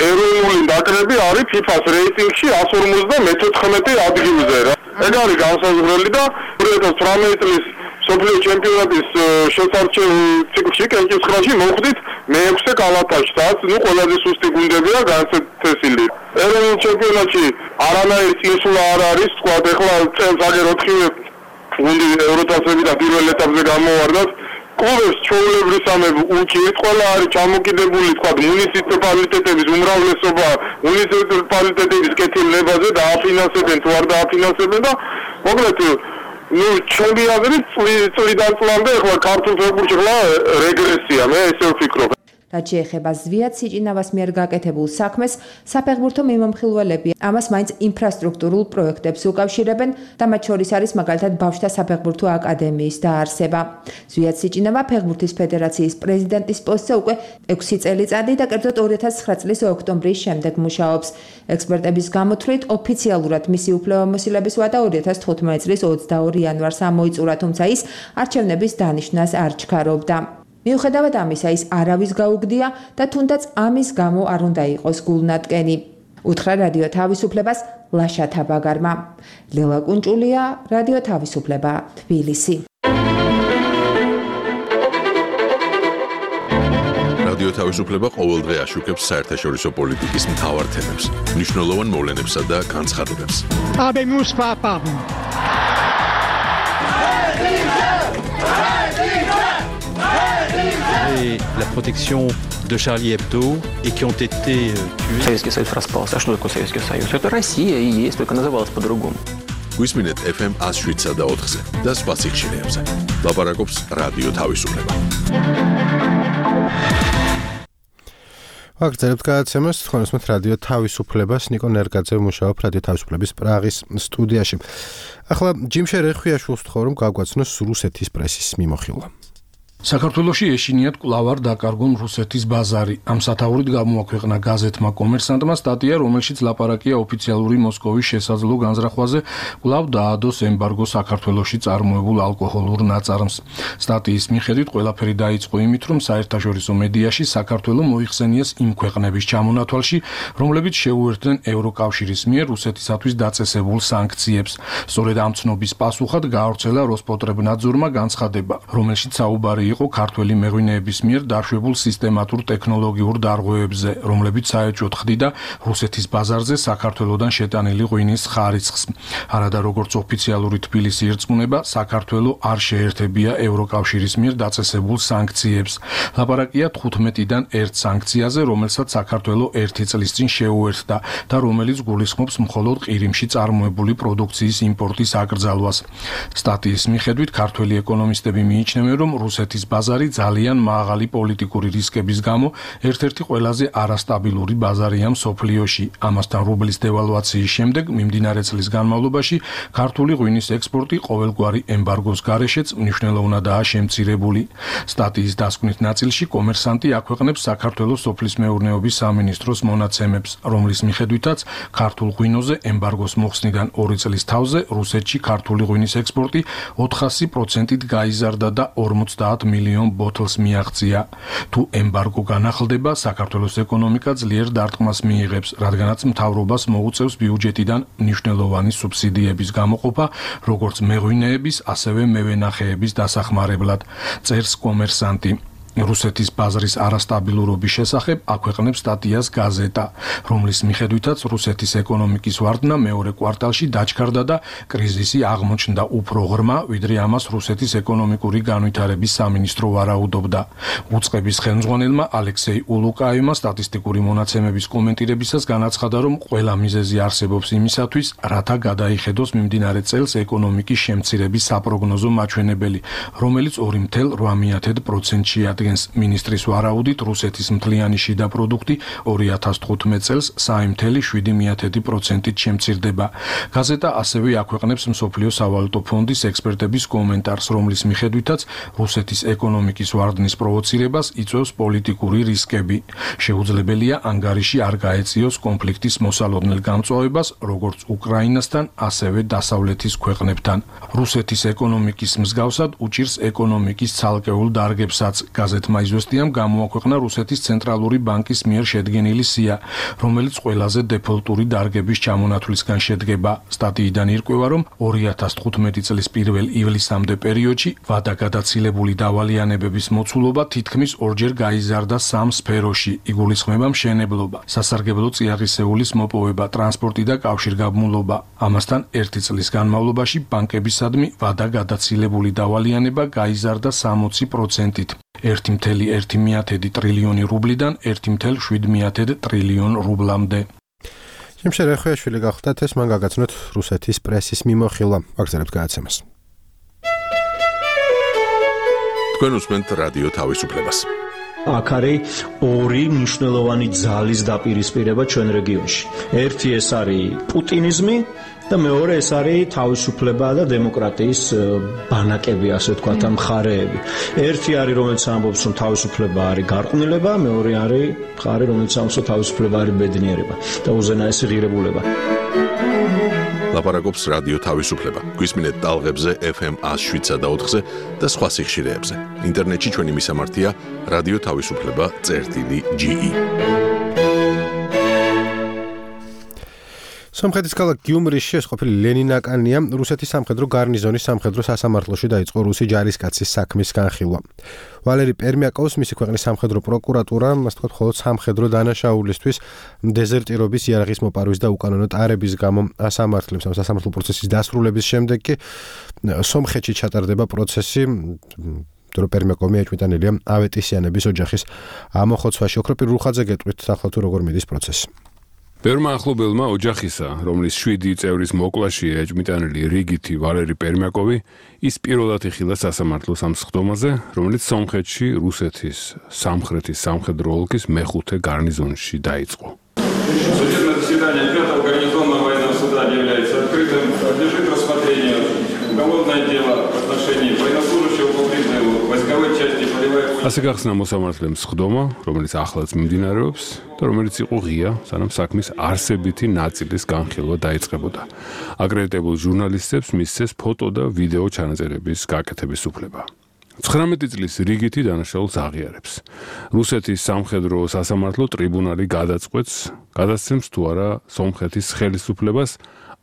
ეროვნული ნაკრები არის ფიფას რეიტინგში εκατს ორმოცდამეთოთხმეტე ადგილზე. ეგ არის განსაზღვრელი და ორი ათას თვრამეტი წლის მსოფლიო ჩემპიონატის შესარჩევ ციკლში კენჭისყრაში მოხვდით მეექვსე კალათაში, სადაც ნუ ყველაზე სუსტი გუნდებია განსაცდელი. ეროვნულ ჩემპიონატში არანაირი წინსვლა არ არის, თქვა ეხლა წელს აგერ ოთხივე გუნდი ევროტასებიდან პირველ ეტაპზე გამოვარდათ. კლუბებს ჩვეულებრისამებრ უჭირთ, ყველა არის ჩამოკიდებული, თქვა მუნიციპალიტეტების უმრავლესობა მუნიციპალიტეტების კეთილნებაზე დააფინანსებენ თუ არ დააფინანსებენ და მოკლედ ნუ ჩემი აზრით წლიდან წლამდე ახლა ქართულ ფეხბურთში ახლა რეგრესია, მე ესე ვფიქრობ.
რაც შეეხება ზვიად სიჭინავას მიერ გაკეთებულ საქმეს, საფეხბურთო მიმომხილველები ამას მაინც ინფრასტრუქტურულ პროექტებს უკავშირებენ და მათ შორის არის მაგალითად ბავშვთა საფეხბურთო აკადემიის დაარსება. ზვიად სიჭინავა ფეხბურთის ფედერაციის პრეზიდენტის პოსტზე უკვე ექვსი წელიწადი და კერძოდ ორი ათას ცხრა წლის ოქტომბრის შემდეგ მუშაობს. ექსპერტების გამოთვლით ოფიციალურად მისი უფლებამოსილების ვადა ორი ათას თხუთმეტი წლის ოცდაორი იანვარს ამოიწურა, თუმცა ის არჩევნების დანიშვნას არ ჩქარობდა. მიუხედავად ამისა, ის არავის გაუგდია და თუნდაც ამის გამო არ უნდა იყოს გულნადგენი. უთხრა რადიო თავისუფლებას ლაშა თაბაგარმა. ლელა კუნჭულია, რადიო თავისუფლება, თბილისი.
რადიო თავისუფლება ყოველდღე აშუქებს საერთაშორისო პოლიტიკის მთავარ თემებს, მნიშვნელოვან მოვლენებსა და განცხადებებს.
Habemus papam.
La protection de Charlie Hebdo et qui ont été tués.
Советский Союз распался. А что такое Советский Союз? Это Россия и есть, только называлась по-другому.
გვისმინეთ эф эм εκατს შვიდსა და ოთხზე და სხვა სიხშირეებზე. ლაპარაკობს რადიო თავისუფლება.
ვაგრძელებთ გადაცემას, თქვენ უსმენთ რადიო თავისუფლებას, ნიკო ნერგაძე მუშაობ რადიო თავისუფლების პრაღის სტუდიაში. ახლა ჯიმშე რეხვიაშვილს ვთხოვ, რომ გაგვაცნოს რუსეთის პრესის მიმოხილვა.
საქართველოში ეშინიათ კვლავ არ დაკარგონ რუსეთის ბაზარი. ამ სათაურით გამოაქვეყნა გაზეთმა კომერსანტმა სტატია, რომელშიც ლაპარაკია ოფიციალური მოსკოვის შესაძლო განზრახვაზე, კვლავ დაადოს ემბარგო საქართველოში წარმოებულ ალკოჰოლურ ნაწარმს. სტატიის მიხედვით ყველაფერი დაიწყო იმით, რომ საერთაშორისო მედიაში საქართველო მოიხსენიეს იმ ქვეყნების ჩამონათვალში, რომლებიც შეუერთდნენ ევროკავშირის მიერ რუსეთისათვის დაწესებულ სანქციებს. სწორედ ამ ცნობის პასუხად გაავრცელა როსპოტრებნადზორმა განცხადება, რომელშიც საუბარი იყო ქართველი მეღვინეების მიერ დაშვებულ სისტემატურ ტექნოლოგიურ დარღვევებზე, რომლებიც საეჭვოდ ხდიდა რუსეთის ბაზარზე საქართველოდან შეტანილი ღვინის ხარისხს. არადა როგორც ოფიციალური თბილისი ირწმუნება, საქართველო არ შეერთებია ევროკავშირის მიერ დაწესებულ სანქციებს. ლაპარაკია თხუთმეტიდან ერთ სანქციაზე, რომელსაც საქართველო ერთი წლის წინ შეუერთდა და რომელიც გულისხმობს მხოლოდ ყირიმში წარმოებული პროდუქციის იმპორტის აკრძალვას. სტატიის მიხედვით ქართველი ეკონომისტები მიიჩნევენ, რომ რუსეთის რუსეთის ბაზარი ძალიან მაღალი პოლიტიკური რისკების გამო ერთ-ერთი ყველაზე არასტაბილური ბაზარია მსოფლიოში. ამასთან რუბლის დევალვაციის შემდეგ მიმდინარე წლის განმავლობაში ქართული ღვინის ექსპორტი ყოველგვარი ემბარგოს გარეშეც მნიშვნელოვნადაა შემცირებული. სტატიის დასკვნით ნაწილში კომერსანტი აქვეყნებს საქართველოს სოფლის მეურნეობის სამინისტროს მონაცემებს, რომლის მიხედვითაც ქართულ ღვინოზე ემბარგოს მოხსნიდან ორი წლის თავზე რუსეთში ქართული ღვინის ექსპორტი ოთხასი პროცენტით გაიზარდა და ორმოცდაათ მილიონ ბოთლს მიაღწია. თუ ემბარგო განახლდება, საქართველოს ეკონომიკა ძლიერ დარტყმას მიიღებს, რადგანაც მთავრობას მოუწევს ბიუჯეტიდან მნიშვნელოვანი სუბსიდიების გამოყოფა, როგორც მეღვინეების, ასევე მევენახეების დასახმარებლად, წერს კომერსანტი. რუსეთის ბაზრის არასტაბილურობის შესახებ აქვეყნებს სტატიას გაზეტა, რომლის მიხედვითაც რუსეთის ეკონომიკის ვარდნა მეორე კვარტალში დაჩქარდა და კრიზისი აღმოჩნდა უფრო ღრმა, ვიდრე ამას რუსეთის ეკონომიკური განვითარების სამინისტრო ვარაუდობდა. უწყების ხელმძღვანელმა ალექსეი ულუკაევმა სტატისტიკური მონაცემების კომენტირებისას განაცხადა, რომ ყველა მიზეზი არსებობს იმისათვის, რათა გადაიხედოს მიმდინარე წელს ეკონომიკის შემცირების საპროგნოზო მაჩვენებელი, რომელიც ორი წელს რვა პროცენტია. მინისტრის ვარაუდით რუსეთის მთლიანი შიდა პროდუქტი ორი ათას თხუთმეტ წელს სამი წელი შვიდი პროცენტით შემცირდება. გაზეტა ასევე აქვეყნებს მსოფლიო სავალუტო ფონდის ექსპერტების კომენტარს, რომლის მიხედვითაც რუსეთის ეკონომიკის ვარდნის პროვოცირებას იწვევს პოლიტიკური რისკები. შეუძლებელია ანგარიში არ გაეწიოს კონფლიქტის მოსალოდნელ გამწვავებას, როგორც უკრაინასთან, ასევე დასავლეთის ქვეყნებთან. რუსეთის ეკონომიკის მსგავსად უჭირს ეკონომიკის ცალკეულ დარგებსაც. გაზეთმა იზვესტიამ გამოაქვეყნა რუსეთის ცენტრალური ბანკის მიერ შედგენილი სია, რომელიც ყველაზე დეფოლტური დარგების ჩამონათვლისგან შედგება. სტატიიდან ირკვევა, რომ ორი ათას თხუთმეტი წლის პირველ ივლისამდე პერიოდში ვადაგადაცილებული დავალიანებების მოცულობა თითქმის ორჯერ გაიზარდა სამ სფეროში. იგულისხმება მშენებლობა, სასარგებლო წიაღისეულის მოპოვება, ტრანსპორტი და კავშირგაბმულობა. ამასთან ერთი წლის განმავლობაში ბანკებისადმი ვადაგადაცილებული დავალიანება გაიზარდა სამოცი პროცენტით. ერთი წელი ერთი ტრილიონი რუბლიდან ერთი წელი შვიდ ტრილიონ რუბლამდე.
ჯიმშე რეხვიაშვილი გახდათ, ეს მან გაგაცნოთ რუსეთის პრესის მიმოხილვა. ვაგზავნებთ გადაცემას.
თქვენ უსმენთ რადიო თავისუფლებას.
აქ არის ორი მნიშვნელოვანი ძალის დაპირისპირება ჩვენ რეგიონში. ერთი ეს არის პუტინიზმი და მეორე ეს არის თავისუფლება და დემოკრატიის ბანაკები, ასე ვთქვათ, მხარეები. ერთი არის, რომელიც ამბობს, რომ თავისუფლება არის გარყვნილება, მეორე არის მხარე, რომელიც ამბობს, რომ თავისუფლება არის ბედნიერება და უზენაესი ღირებულება.
ლაპარაკობს რადიო თავისუფლება. გვისმინეთ ტალღებზე ეფ ემ ას შვიდსა და ოთხზე და სხვა სიხშირეებზე. ინტერნეტში ჩვენი მისამართია რადიო თავისუფლება წერტილი ჯი ი.
სომხეთის ქალაქ გიუმრიში ეს ყოფილი ლენინაკანია, რუსეთის სამხედრო გარნიზონის სამხედრო სასამართლოში დაიწყო რუსი ჯარისკაცის საქმის განხილვა. ვალერი პერმიაკოვს მისი ქვეყნის სამხედრო პროკურატურა, ასე ვთქვათ, მხოლოდ სამხედრო დანაშაულისთვის დეზერტირობის იარაღის მოპარვის და უკანონო ტარების გამო ასამართლებს. ამ სასამართლო პროცესის დასრულების შემდეგ კი სომხეთში ჩატარდება პროცესი პერმიაკოვი ეჭვმიტანილია ავეტისიანების ოჯახის ამოხოცვაში. ოქროპირ რუხაძე გეტყვით, ახლა თუ როგორ მიდის პროცესი.
ბევრმა ახლობელმა ოჯახისა, რომლის შვიდი წევრის მოკლაშია ეჭვმიტანილი რიგითი ვალერი პერმიაკოვი, ის პირველად იხილა სასამართლოს ამ სხდომაზე, რომელიც სომხეთში რუსეთის სამხრეთის სამხედრო ოლქის მეხუთე გარნიზონში დაიწყო.
Судебное заседание пятого гарнизонного военного суда является открытым. Подлежит рассмотрению уголовное дело в отношении военнослужащего по призыву войсковой части полевой.
ასე გახსნა მოსამართლემ სხდომა, რომელიც ახლაც მიმდინარეობს და რომელიც იყო ღია, სანამ საქმის არსებითი ნაწილის განხილვა დაიწყებოდა. აკრედიტებულ ჟურნალისტებს მისცეს ფოტო და ვიდეო ჩანაწერების გაკეთების უფლება. ცხრამეტი წლის რიგითი დანაშაულს აღიარებს. რუსეთის სამხედრო სასამართლო ტრიბუნალი გადაწყვეტს, გადასცემს თუ არა სომხეთის ხელისუფლებას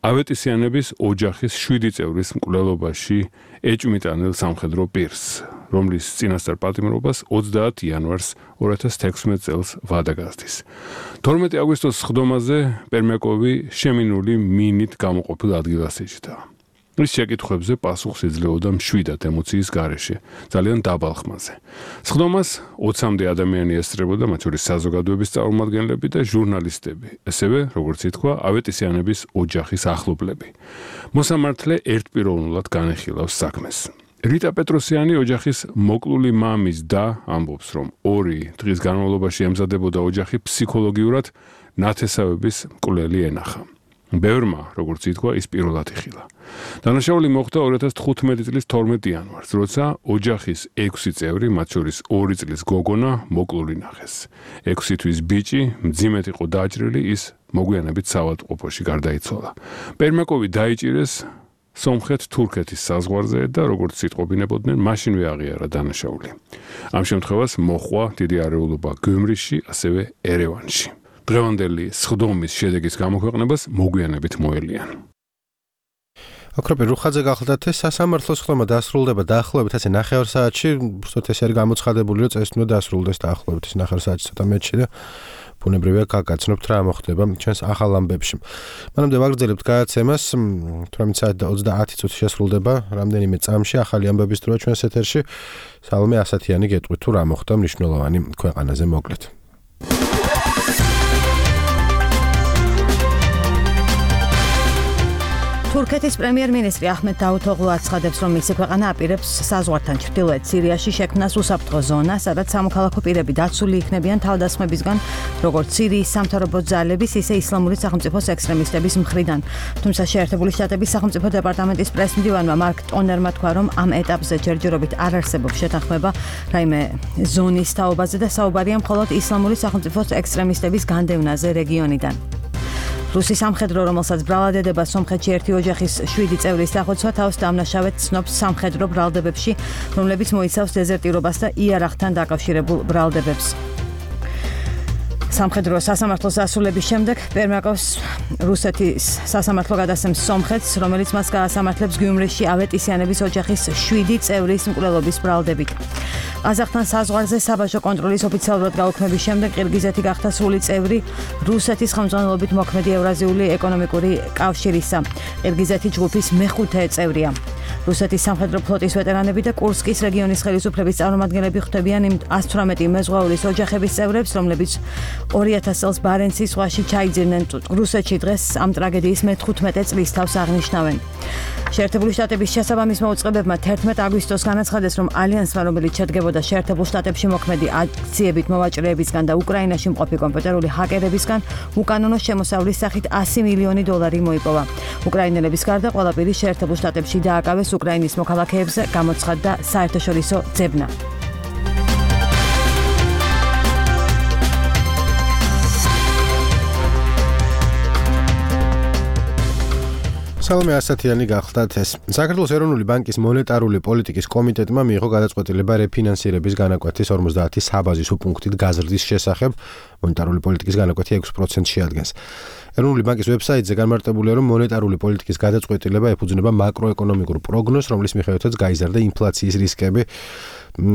ავეტისიანების ოჯახის შვიდი წევრის მკვლელობაში ეჭვმიტანილ სამხედრო პირს, რომლის წინასწარ პატიმრობას ოცდაათი იანვარს ორი ათას თექვსმეტ წელს ვადა გასდის. თორმეტი აგვისტოს სხდომაზე პერმიაკოვი შემინული მინით გამოყოფილ ადგილას ეჭდა. ის შეკითხვებზე პასუხს იძლეოდა მშვიდად ემოციის გარეშე, ძალიან დაბალ ხმაზე. სხდომას ოცამდე ადამიანი ესწრებოდა, მათ შორის საზოგადოების წარმომადგენლები და ჟურნალისტები, ასევე, როგორც ითქვა, ავეტისიანების ოჯახის ახლობლები. მოსამართლე ერთპიროვნულად განეხილავს საქმეს. რიტა პეტროსიანი ოჯახის მოკლული მამის და ამბობს, რომ ორი დღის განმავლობაში ემზადებოდა ოჯახი ფსიქოლოგიურად ნათესავების მკვლელი ენახა. ბევრმა, როგორც ითქვა, ის პირველად იხილა. დანაშაული მოხდა ორი ათას თხუთმეტი წლის თორმეტი იანვარს, როცა ოჯახის ექვსი წევრი, მათ შორის ორი წლის გოგონა, მოკლული ნახეს. ექვსი თვის ბიჭი მძიმედ იყო დაჭრილი, ის მოგვიანებით საავადმყოფოში გარდაიცვალა. პერმაკოვი დაიჭირეს სომხეთ-თურქეთის საზღვარზე და როგორც იტყობინებოდნენ, მაშინვე აღიარა დანაშაული. ამ შემთხვევას მოჰყვა დიდი არეულობა გიუმრიში, ასევე ერევანში. დღევანდელი სხდომის შედეგის გამოქვეყნებას მოგვიანებით მოელიან.
აკროპი რუხაძე გახლდათ ეს სასამართლო სხდომა დასრულდება დაახლოებით ასე ნახევარ საათში, უბრალოდ ეს არის გამოცხადებული, რომ წესით უნდა დასრულდეს დაახლოებით ეს ნახევარ საათში ცოტა მეტში და ბუნებრივია გაგაცნობთ რა მოხდება ჩვენს ახალ ამბებში. მანამდე ვაგრძელებთ გადაცემას, თვრამეტი საათი და ოცდაათი წუთი შესრულდება რამდენიმე წამში ახალი ამბების დროა ჩვენს ეთერში. სალომე ასათიანი გეტყვით თუ რა მოხდა მნიშვნელოვანი ქვეყანაზე მოკლედ.
თურქეთის პრემიერ-მინისტრი აჰმედ დავუთოღლუ აცხადებს, რომ მისი ქვეყანა აპირებს საზღვართან ჩრდილოეთ სირიაში შექმნას უსაფრთხო ზონა, სადაც სამოქალაქო პირები დაცული იქნებიან თავდასხმებისგან, როგორც სირიის სამთავრობო ძალების, ისე ისლამური სახელმწიფოს ექსტრემისტების მხრიდან. თუმცა შეერთებული შტატების სახელმწიფო დეპარტამენტის პრესმდივანმა მარკ ტონერმა თქვა, რომ ამ ეტაპზე ჯერჯერობით არ არსებობს შეთანხმება რაიმე ზონის თაობაზე და საუბარია მხოლოდ ისლამური სახელმწიფოს ექსტრემისტების განდევნაზე რეგიონიდან. რუსი სამხედრო, რომელსაც ბრალადედება სომხეთში ერთი ოჯახის შვიდი წევრის დახოცვა, თავს დამნაშავედ ცნობს სამხედრო ბრალდებებში, რომლებიც მოიცავს დეზერტირობას და იარაღთან დაკავშირებულ ბრალდებებს. სამხედრო სასამართლოს დასრულების შემდეგ პერმაკოვს რუსეთის სასამართლო გადასცემს სომხეთს, რომელიც მას გაასამართლებს გიუმრიში ავეტისიანების ოჯახის შვიდი წევრის მკვლელობის ბრალდებით. ყაზახთან საზღვარზე საბაჟო კონტროლის ოფიციალურად გაუქმების შემდეგ ყირგიზეთი გახდა სრული წევრი რუსეთის ხელმძღვანელობით მოქმედი ევრაზიული ეკონომიკური კავშირისა. ყირგიზეთი ჯგუფის მეხუთე წევრია. რუსეთის სამხედრო ფლოტის ვეტერანები და კურსკის რეგიონის ხელისუფლების წარმომადგენლები ხვდებიან იმ ას თვრამეტი მეზღვაურის ოჯახების წევრებს, რომლებიც ორი ათას წელს ბარენცის ზღვაში ჩაიძიდნენ. რუსეთში დღეს ამ ტრაგედიის მეთხუთმეტე წლის თავს აღნიშნავენ. შეერთებული შტატების შესაბამის მოუწყებებმა თერთმეტი აგვისტოს განაცხადეს, რომ ალიანსმა, რომელიც შედგებოდა შეერთებულ შტატებში მოქმედი აქციებით მოვაჭრეებისგან და უკრაინაში მყოფი კომპიუტერული ჰაკერებისგან, უკანონო შემოსავლის სახით ასი მილიონი დოლარი მოიპოვა. უკრაინელების გარდა ყველა პირი შეერთებულ შტატებში დააკავეს უკრაინის მოქალაქეებზე, გამოცხადდა საერთაშორისო ძებნა.
სალომე ასათიანი გახლდათ ეს. საქართველოს ეროვნული ბანკის მონეტარული პოლიტიკის კომიტეტმა მიიღო გადაწყვეტილება რეფინანსირების განაკვეთის ორმოცდაათი საბაზისო პუნქტით გაზრდის შესახებ. მონეტარული პოლიტიკის განაკვეთი ექვსი პროცენტს შეადგენს. ეროვნული ბანკის ვებსაიტზე განმარტებულია, რომ მონეტარული პოლიტიკის გადაწყვეტილება ეფუძნება მაკროეკონომიკურ პროგნოზს, რომლის მიხედვითაც გაიზარდა ინფლაციის რისკები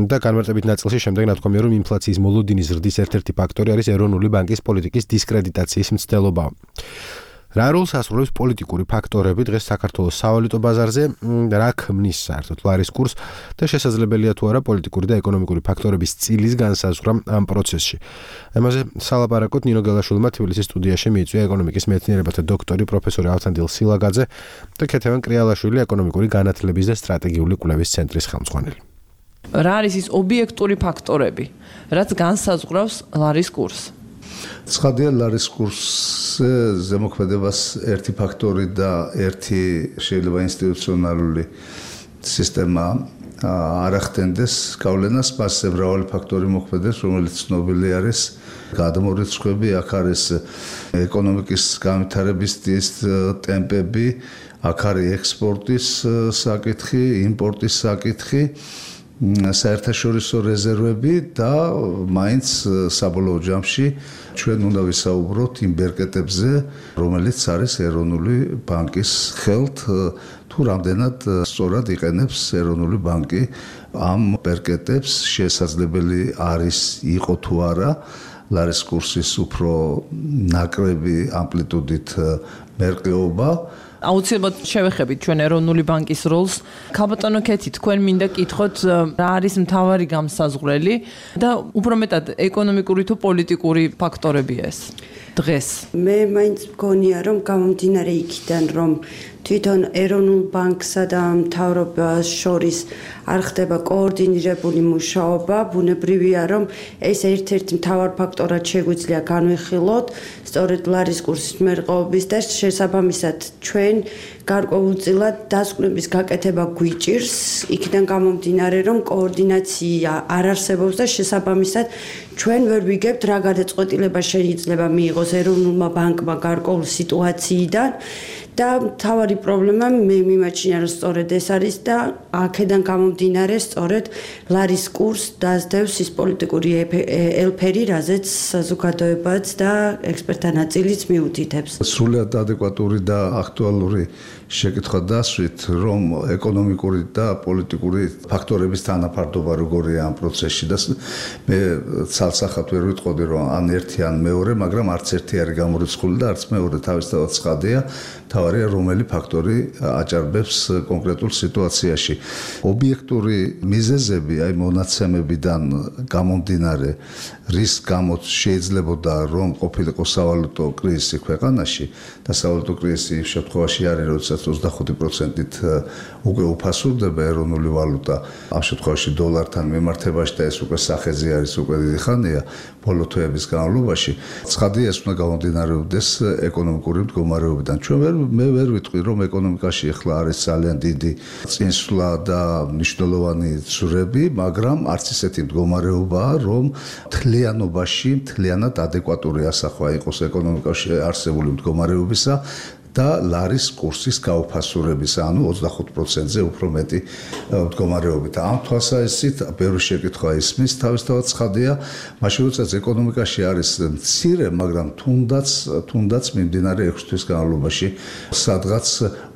და განმარტებით ნაწილში შემდეგ ნათქვამია, რომ ინფლაციის მოლოდინის ზრდის ერთ-ერთი ფაქტორი არის ეროვნული ბანკის პოლიტიკის დისკრედიტაციის მცდელობა. რა როლს ასრულებს პოლიტიკური ფაქტორები დღეს საქართველოს სავალუტო ბაზარზე, რა ქმნის საერთოდ ლარის კურსს და შესაძლებელია თუ არა პოლიტიკური და ეკონომიკური ფაქტორების წილის განსაზღვრა ამ პროცესში. ამაზე სალაპარაკოთ ნინო გელაშვილმა თბილისის სტუდიაში მიიწვია ეკონომიკის მეცნიერებათა დოქტორი პროფესორი ავთანდილ სილაგაძე და ქეთევან კრიალაშვილი ეკონომიკური განათლების და სტრატეგიული კვლევის ცენტრის ხელმძღვანელი.
რა არის ის ობიექტური ფაქტორები, რაც განსაზღვრავს ლარის კურსს?
ცხადია, ლარის კურსზე ზემოქმედებას ერთი ფაქტორი და ერთი შეიძლება ინსტიტუციონალური სისტემა არ ახდენდეს გავლენას, მასზე მრავალი ფაქტორი მოქმედებს, რომელიც ცნობილი არის. გადამორიცხვები, აქ არის ეკონომიკის განვითარების ტემპები, აქ არის ექსპორტის საკითხი, იმპორტის საკითხი, საერთაშორისო რეზერვები და მაინც საბოლოო ჯამში ჩვენ უნდა ვისაუბროთ იმ ბერკეტებზე, რომელიც არის ეროვნული ბანკის ხელთ, თუ რამდენად სწორად იყენებს ეროვნული ბანკი ამ ბერკეტებს, შესაძლებელი არის იყო თუ არა ლარის კურსის უფრო ნაკრები ამპლიტუდით მერყეობა.
აუცილებლად შევეხებით ჩვენ ეროვნული ბანკის როლს. ქალბატონო ქეთი, თქვენ მინდა კითხოთ, რა არის მთავარი გამსაზღვრელი და უფრო მეტად ეკონომიკური თუ პოლიტიკური ფაქტორებია ეს დღეს?
მე მაინც მგონია, რომ გამომდინარე იქიდან, რომ თვითონ ეროვნულ ბანკსა და მთავრობას შორის არ ხდება კოორდინირებული მუშაობა, ბუნებრივია, რომ ეს ერთ-ერთი მთავარ ფაქტორად შეგვიძლია განვიხილოთ, სწორედ ლარის კურსის მერყეობის და შესაბამისად ჩვენ გარკვეულწილად დასკვნების გაკეთება გვიჭირს, იქიდან გამომდინარე, რომ კოორდინაცია არ არსებობს და შესაბამისად ჩვენ ვერ ვიგებთ რა გადაწყვეტილება შეიძლება მიიღოს ეროვნულმა ბანკმა გარკვეულ სიტუაციიდან და თავარი პრობლემა მე მიმაჩნია რომ სწორედ ეს არის და აქედან გამომდინარე სწორედ ლარის კურს დაძდევს ის პოლიტიკური ელფერი, რაზეც საზოგადოებაც და ექსპერტთა ნაწილიც მიუთითებს.
სრულად ადეკვატური და აქტუალური შეკითხვა დასვით, რომ ეკონომიკური და პოლიტიკური ფაქტორების თანაფარდობა როგორია ამ პროცესში და მე ცალსახად ვერ ვიტყოდი რომ ან ერთი ან მეორე, მაგრამ არც ერთი არის გამორიცხული და არც მეორე თავისთავად ცხადია, თავარია რომელი ფაქტორი აჭარბებს კონკრეტულ სიტუაციაში. ობიექტური მიზეზები, აი მონაცემებიდან გამომდინარე, რის გამოც შეიძლებოდა რომ ყოფილიყო სავალუტო კრიზისი ქვეყანაში და სავალუტო კრიზისი იმ შემთხვევაში არის, როდესაც ოცდახუთი პროცენტით უკვე უფასურდება ეროვნული ვალუტა, ამ შემთხვევაში დოლართან მიმართებაში და ეს უკვე სახეზე არის უკვე დიდი ხანია, ბოლო თვეების განმავლობაში. ცხადია, ეს უნდა გამომდინარეობდეს ეკონომიკური მდგომარეობიდან. ჩვენ ვერ მე ვერ ვიტყვი რომ ეკონომიკაში ახლა არის ძალიან დიდი წინსვლა და მნიშვნელოვანი ძვრები, მაგრამ არც ისეთი მდგომარეობაა, რომ მთლიანობაში მთლიანად ადეკვატური ასახვა იყოს ეკონომიკაში არსებული მდგომარეობისა და ლარის კურსის გაუფასურების, ანუ ოცდახუთ პროცენტზე უფრო მეტი მდგომარეობით. ამ თვალსაზრისით ბევრი შეკითხვა ისმის, თავისთავად ცხადია, მაშინ როდესაც ეკონომიკაში არის მცირე, მაგრამ თუნდაც თუნდაც მიმდინარე ექვსი თვის განმავლობაში სადღაც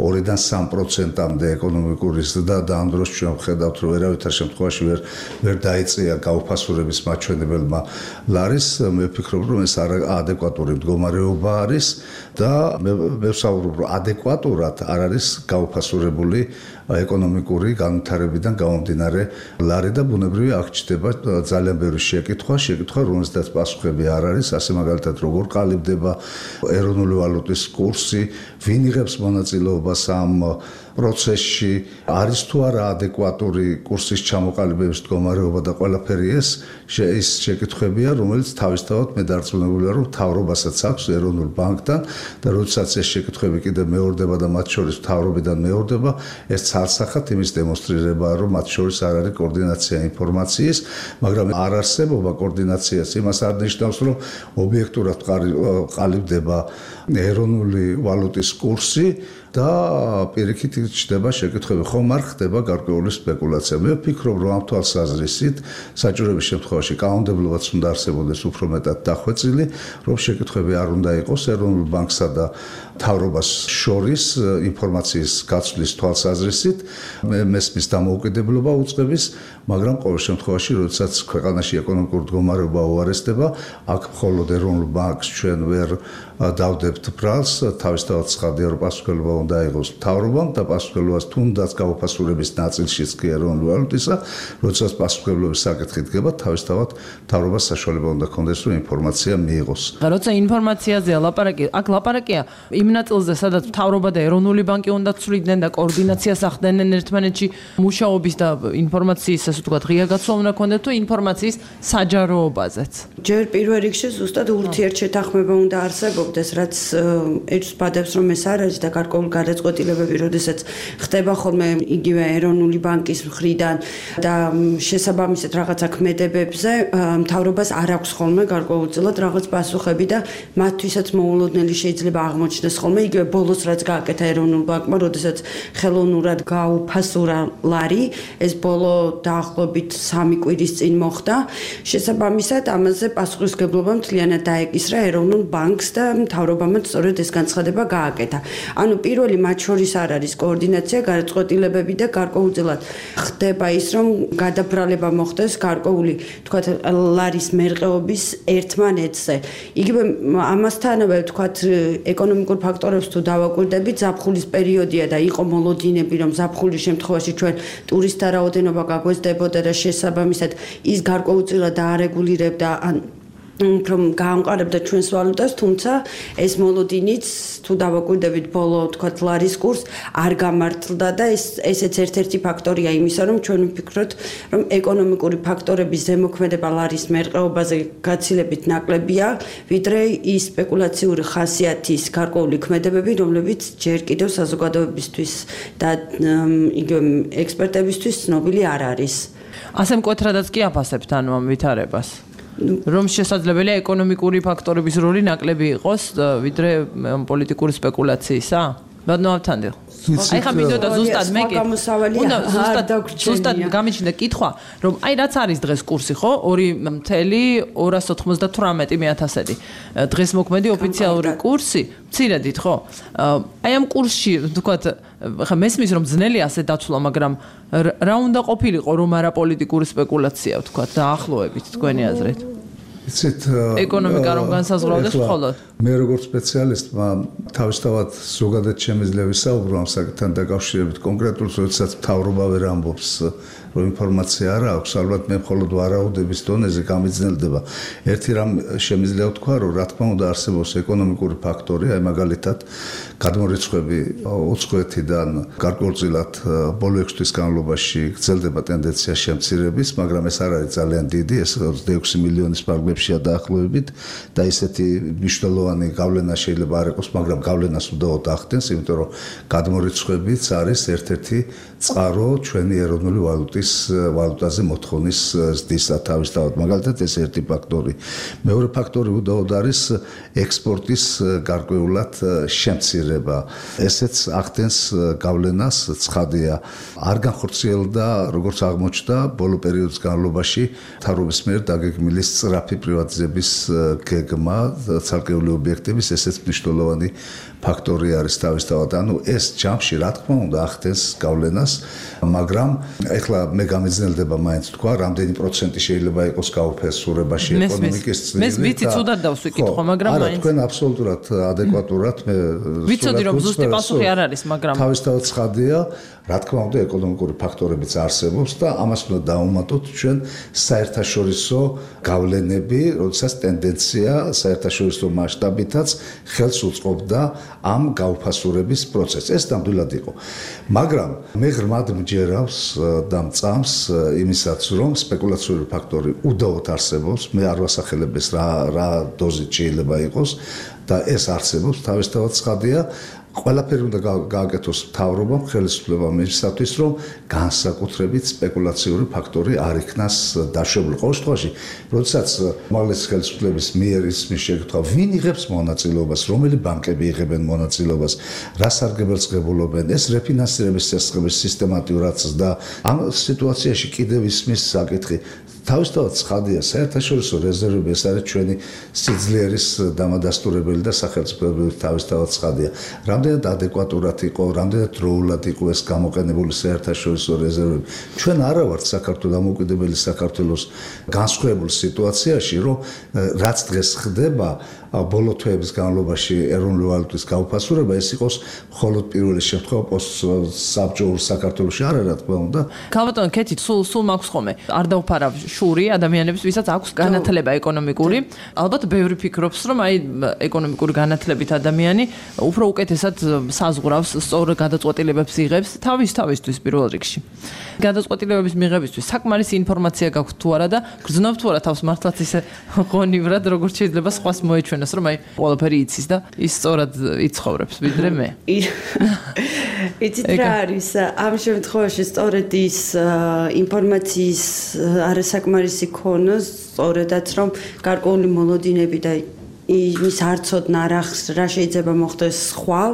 ორიდან სამ პროცენტამდე ეკონომიკური ზრდა და ამ დროს ჩვენ ვხედავთ, რომ ვერავითარ შემთხვევაში ვერ ვერ დაიწია გაუფასურების მაჩვენებელმა ლარის, მე ვფიქრობ, რომ ეს არაადეკვატური მდგომარეობა არის და მე ვსაუბრობ, რომ ადეკვატურად არ არის გაუფასურებული ეკონომიკური განვითარებიდან გამომდინარე ლარი და ბუნებრივია აქ ჩდება ძალიან ბევრი შეკითხვა, შეკითხვა, რომელსაც პასუხები არ არის, ასე მაგალითად როგორ ყალიბდება ეროვნული ვალუტის კურსი, ვინ იღებს მონაწილეობას ამ პროცესში, არის თუ არა ადეკვატური კურსის ჩამოყალიბების მდგომარეობა და ყველაფერი ეს ის შეკითხვებია, რომელიც თავისთავად მე დარწმუნებულია, რომ მთავრობასაც აქვს ეროვნულ ბანკთან და როდესაც ეს შეკითხვები კიდევ მეორდება და მათ შორის მთავრობიდან მეორდება, ეს ცალსახად იმის დემონსტრირებაა, რომ მათ შორის არ არის კოორდინაცია ინფორმაციის, მაგრამ არ არსებობა კოორდინაციას იმას არ ნიშნავს, რომ ობიექტურად ყალიბდება ეროვნული ვალუტის კურსი და პირიქით ჩდება შეკითხვები, ხომ არ ხდება გარკვეული სპეკულაცია. მე ვფიქრობ, რომ ამ თვალსაზრისით საჭიროების შემთხვევაში კანონმდებლობაც უნდა არსებობდეს უფრო მეტად დახვეწილი, რომ შეკითხვები არ უნდა იყოს ეროვნულ ბანკსა და მთავრობას შორის ინფორმაციის გაცვლის თვალსაზრისით, მესმის დამოუკიდებლობა უწყების, მაგრამ ყოველ შემთხვევაში, როდესაც ქვეყანაში ეკონომიკური მდგომარეობა უარესდება, აქ მხოლოდ ეროვნულ ბანკს ჩვენ ვერ დავდებთ ბრალს, თავისთავად ცხადია, რომ პასუხისმგებლობა უნდა აიღოს მთავრობამ და პასუხისმგებლობას თუნდაც გაუფასურების ნაწილშიც კი ეროვნული ვალუტისა, როდესაც პასუხისმგებლობის საკითხი დგება, თავისთავად მთავრობას საშუალება უნდა ჰქონდეს, რომ ინფორმაცია მიიღოს.
როცა ინფორმაციაზეა ლაპარაკი, აქ ლაპარაკია იმ ნაწილზე, სადაც მთავრობა და ეროვნული ბანკი უნდა ცვლიდნენ და კოორდინაციას ახდენენ ერთმანეთში მუშაობის და ინფორმაციის, ასე ვთქვათ, ღია გაცვლა უნდა ჰქონდეთ თუ ინფორმაციის საჯაროობაზეც.
ჯერ პირველ რიგში ზუსტად ურთიერთშეთანხმება უნდა არსებობდეს, რაც ერთს ბადებს, რომ ეს არ არის და გარკვეული გადაწყვეტილებები, როდესაც ხდება ხოლმე იგივე ეროვნული ბანკის მხრიდან და შესაბამისად რაღაცა ქმედებებზე, მთავრობას არ აქვს ხოლმე გარკვეულწილად რაღაც პასუხები და მათთვისაც მოულოდნელი შეიძლება აღმოჩნდეს ხოლმე იგივე ბოლოს რაც გააკეთა ეროვნულ ბანკმა, როდესაც ხელოვნურად გაუფასურა ლარი, ეს ბოლო დაახლოებით სამი კვირის წინ მოხდა. შესაბამისად ამაზე პასუხისმგებლობა მთლიანად დაეკისრა ეროვნულ ბანკს და მთავრობამ სწორედ ეს განცხადება გააკეთა. ანუ პირველი მათ შორის არ არის კოორდინაცია, გადაწყვეტილებები და გარკვეულწილად ხდება ის, რომ გადაბრალება მოხდეს გარკვეული, თქვათ, ლარის მერყეობის ერთმანეთზე. იგივე ამასთანავე, თქვათ, ეკონომიკურ ფაქტორებს თუ დავაკვირდებით, ზაფხულის პერიოდია და იყო მოლოდინები, რომ ზაფხულის შემთხვევაში ჩვენ ტურისტთა რაოდენობა გაგვეზდებოდა და შესაბამისად ის გარკვეულწილად დაარეგულირებდა ან რომ გაამყარებდა ჩვენს ვალუტას, თუმცა ეს მოლოდინიც თუ დავაკვირდებით ბოლო თქვა ლარის კურს არ გამართლდა და ეს ესეც ერთ-ერთი ფაქტორია იმისა, რომ ჩვენ ვფიქრობთ, რომ ეკონომიკური ფაქტორების ზემოქმედება ლარის მერყეობაზე გაცილებით ნაკლებია, ვიდრე ის სპეკულაციური ხასიათის გარკვეული ქმედებები, რომლებიც ჯერ კიდევ საზოგადოებისთვის და იგივე ექსპერტებისთვის ცნობილი არ არის.
ასე მკვეთრადაც კი აფასებთ ანუ ამ ვითარებას. რომ შესაძლებელია ეკონომიკური ფაქტორების როლი ნაკლები იყოს ვიდრე პოლიტიკური სპეკულაციისა? ბატონო ავთანდილ. აი ხა მინდოდა ზუსტად მე კი. უნდა ზუსტად ზუსტად გამიჩნდა კითხვა, რომ აი რაც არის დღეს კურსი, ხო? ორი წელი ორას ოცდათვრამეტი ათასი. დღეს მოქმედი ოფიციალური კურსი, მცირედით, ხო? აი ამ კურსში, ვთქვათ, ხა მესმის რომ ძნელი ასე დაცვლა, მაგრამ რა უნდა ყოფილიყო რომ არა პოლიტიკური სპეკულაცია, ვთქვათ, დაახლოებით თქვენი აზრით?
იცით
ეკონომიკა რომ განსაზღვრავდეს მხოლოდ
მე როგორც სპეციალისტმა თავისთავად ზოგადად შემიძლია ვისაუბრო ამ საკითხთან დაკავშირებით კონკრეტულად როდესაც მთავრობა ვერ ამბობს რომ ინფორმაცია არ აქვს ალბათ მე მხოლოდ ვარაუდების დონეზე გამიძნელდება ერთი რამ შემიძლია ვთქვა რომ რა თქმა უნდა არსებობს ეკონომიკური ფაქტორი აი მაგალითად გადმორიცხვები უცხოეთიდან გარკვეულწილად ბოლო ექვსი თვის განმავლობაში გრძელდება ტენდენცია შემცირების მაგრამ ეს არ არის ძალიან დიდი ეს ოცდაექვსი მილიონის ფარგლებშია დაახლოებით და ესეთი მნიშვნელოვანი გავლენა შეიძლება არ იყოს მაგრამ გავლენას უდაოდ ახდენს იმიტომ რომ გადმორიცხვებიც არის ერთ-ერთი წყარო ჩვენი ეროვნული ვალუტის ვალუტაზე მოთხოვნის ზრდისა თავისთავად მაგალითად ეს ერთი ფაქტორი მეორე ფაქტორი უდაოდ არის ექსპორტის გარკვეულად შემცირება ესეც ახდენს გავლენას ცხადია არ განხორციელდა როგორც აღმოჩნდა ბოლო პერიოდის განმავლობაში მთავრობის მიერ დაგეგმილი სწრაფი პრივატიზების გეგმა ცალკეული ობიექტების ესეც მნიშვნელოვანი ფაქტორი არის თავისთავად ანუ ეს ჯამში რა თქმა უნდა ახდენს გავლენას მაგრამ ეხლა მე გამიძნელდება მაინც თქვა რამდენი პროცენტი შეიძლება იყოს გაუფესურებაში ეკონომიკის წილი
მე ვიცი ცუდად დავსვიკითხო მაგრამ
მაინც არა თქვენ აბსოლუტურად ადეკვატურად მე
ვიცოდი რომ ზუსტი პასუხი არ არის მაგრამ
თავისთავად ცხადია რა თქმა უნდა ეკონომიკური ფაქტორებიც არსებობს და ამას უნდა დავუმატოთ ჩვენ საერთაშორისო გავლენები როდესაც ტენდენცია საერთაშორისო მასშტაბითაც ხელს უწყობდა ამ გაუფასურების პროცესს ეს ნამდვილად იყო მაგრამ მე ღრმად მჯერავს და მწამს იმისაც რომ სპეკულაციური ფაქტორი უდაოდ არსებობს მე არ ვასახელებ ეს რა რა დოზით შეიძლება იყოს და ეს არსებობს თავისთავად ცხადია ყველაფერი უნდა გააკეთოს მთავრობამ ხელისუფლებამ იმისათვის რომ განსაკუთრებით სპეკულაციური ფაქტორი არ იქნას დაშვებული ყოველ შემთხვევაში როდესაც უმაღლესი ხელისუფლების მიერ ისმის შეკითხვა ვინ იღებს მონაწილეობას რომელი ბანკები იღებენ მონაწილეობას რა სარგებელს ღებულობენ ეს რეფინანსირების წესრიგების სისტემატიურად და ამ სიტუაციაში კიდევ ისმის საკითხი თავისთავად ცხადია საერთაშორისო რეზერვები ეს არის ჩვენი სიძლიერის დამადასტურებელი და სახელმწიფოებრივი თავისთავად ცხადია რამდენად ადეკვატურად იყო რამდენად დროულად იყო ეს გამოყენებული საერთაშორისო რეზერვები ჩვენ არა ვართ საქართველოს დამოუკიდებელი საქართველოს განსხვავებულ სიტუაციაში რომ რაც დღეს ხდება ბოლო თვეების განმავლობაში ეროვნული ვალუტის გაუფასურება ეს იყოს მხოლოდ პირველი შემთხვევა პოსტსაბჭოურ საქართველოში არა რა თქმა უნდა
ქალბატონო კეთი სულ სულ მაქვს ხოლმე არ დავფარავ შური ადამიანებს ვისაც აქვს განათლება ეკონომიკური ალბათ ბევრი ფიქრობს რომ აი ეკონომიკური განათლებით ადამიანი უფრო უკეთესად საზღვრავს სწორ გადაწყვეტილებებს იღებს თავის თავისთვის პირველ რიგში გადაწყვეტილებების მიღებისთვის საკმარისი ინფორმაცია გაქვთ თუ არა და გრძნობთ თუ არა თავს მართლაც ისე ღონივრად როგორც შეიძლება სხვას მოეჩვენოს რომ აი ყველაფერი იცის და ის სწორად იცხოვრებს ვიდრე მე
იცით რა არის ამ შემთხვევაში სწორედ ის ინფორმაციის არასაკმარისი ქონა სწორედაც რომ გარკვეული მოლოდინები და ის არცოდნა რა რა შეიძლება მოხდეს ხვალ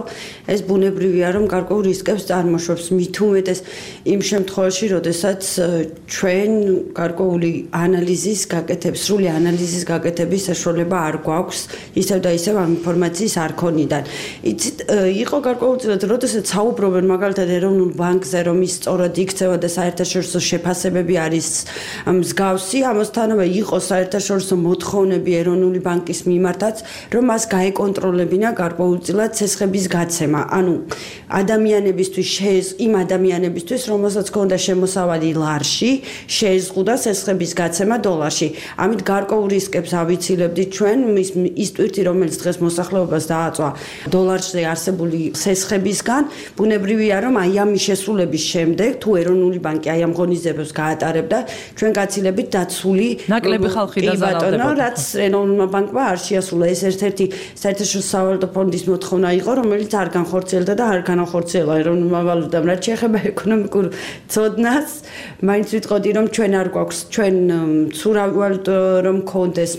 ეს ბუნებრივია რომ გარკვეულ რისკებს წარმოშობს მით უმეტეს იმ შემთხვევაში როდესაც ჩვენ გარკვეული ანალიზის გაკეთებს სრული ანალიზის გაკეთების საშუალება არ გვაქვს ისევ და ისევ ამ ინფორმაციის არქონიდან იცით იყო გარკვეულწილად როდესაც საუბრობენ მაგალითად ეროვნულ ბანკზე რომ ის სწორად იქცევა და საერთაშორისო შეფასებები არის მსგავსი ამასთანავე იყო საერთაშორისო მოთხოვნები ეროვნული ბანკის მიმართ მართლაც, რომ მას გაეკონტროლებინა გარკვეულწილად ცესხების გაცემა. ანუ ადამიანებისთვის შეეზ იმ ადამიანებისთვის, რომელსაც ჰქონდა შემოსავალი ლარში, შეეზღუდა ცესხების გაცემა დოლარში. ამით გარკვეულ რისკებს ავიცილებდით ჩვენ, ის ტვირთი, რომელიც დღეს მოსახლეობას დააწვა დოლარზე არსებული ცესხებისგან, ბუნებრივია, რომ აი ამ შესრულების შემდეგ, თუ ეროვნული ბანკი აი ამ ღონისძიებებს გაატარებდა, ჩვენ გაცილებით დაცული
ნაკლები ხალხი დაზარალდებოდა.
რაც ეროვნულმა ბანკმა არ შეასრულა. ეს ერთ-ერთი საერთაშორისო სავალუტო ფონდის მოთხოვნა იყო, რომელიც არ განხორციელდა და არ განახორციელა ეროვნულმა ვალუტამ. რაც შეეხება ეკონომიკურ ცოდნას, მაინც ვიტყოდი, რომ ჩვენ არ გვაქვს ჩვენ ცურავი ვალუტა რომ კონდეს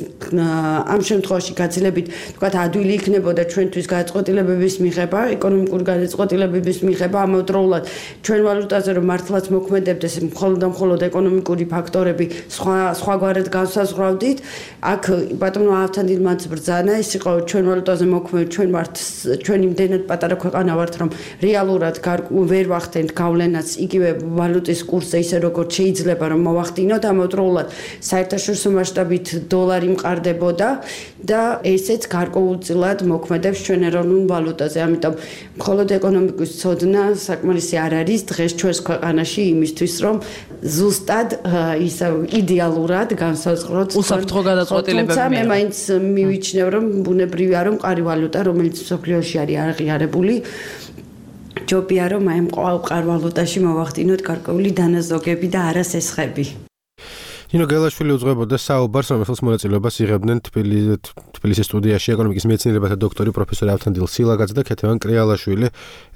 ამ შემთხვევაში გაცილებით თქვათ ადვილი იქნებოდა ჩვენთვის გადაწყვეტილებების მიღება, ეკონომიკური გადაწყვეტილებების მიღება, ამავდროულად ჩვენ ვალუტაზე რომ მართლაც მოქმედებდეს მხოლოდ და მხოლოდ ეკონომიკური ფაქტორები სხვა სხვაგვარად განსაზღვრავდით, აქ ბატონო ავთანდილმაც ბრძანა ის იყო ჩვენ ვალუტაზე მოქმედ ჩვენ ვართ ჩვენ იმდენად პატარა ქვეყანა ვართ რომ რეალურად ვერ ვახდენთ გავლენას იგივე ვალუტის კურსზე ისე როგორც შეიძლება რომ მოვახდინოთ, ამავდროულად საერთაშორისო მასშტაბით დოლარი მყარდებოდა და ესეც გარკვეულწილად მოქმედებს ჩვენ ეროვნულ ვალუტაზე. ამიტომ მხოლოდ ეკონომიკის ცოდნა საკმარისი არ არის დღეს ჩვენს ქვეყანაში იმისთვის, რომ ზუსტად ისე იდეალურად განსაზღვროთ
უსაფრთხო გადაწყვეტილებები.
თუმცა მე მაინც მივიჩნევ, რომ ბუნებრივია, რომ მყარი ვალუტა, რომელიც მსოფლიოში არის აღიარებული, ჯობია რომ აი ამ მყარ ვალუტაში მოვახდინოთ გარკვეული დანაზოგები და არა სესხები.
ნინო გელაშვილი უძღვებოდა საუბარს, რომელსაც მონაწილეობას იღებდნენ თბილისის სტუდიაში ეკონომიკის მეცნიერებათა დოქტორი პროფესორი ავთანდილ სილაგაძე და ქეთევან კრიალაშვილი,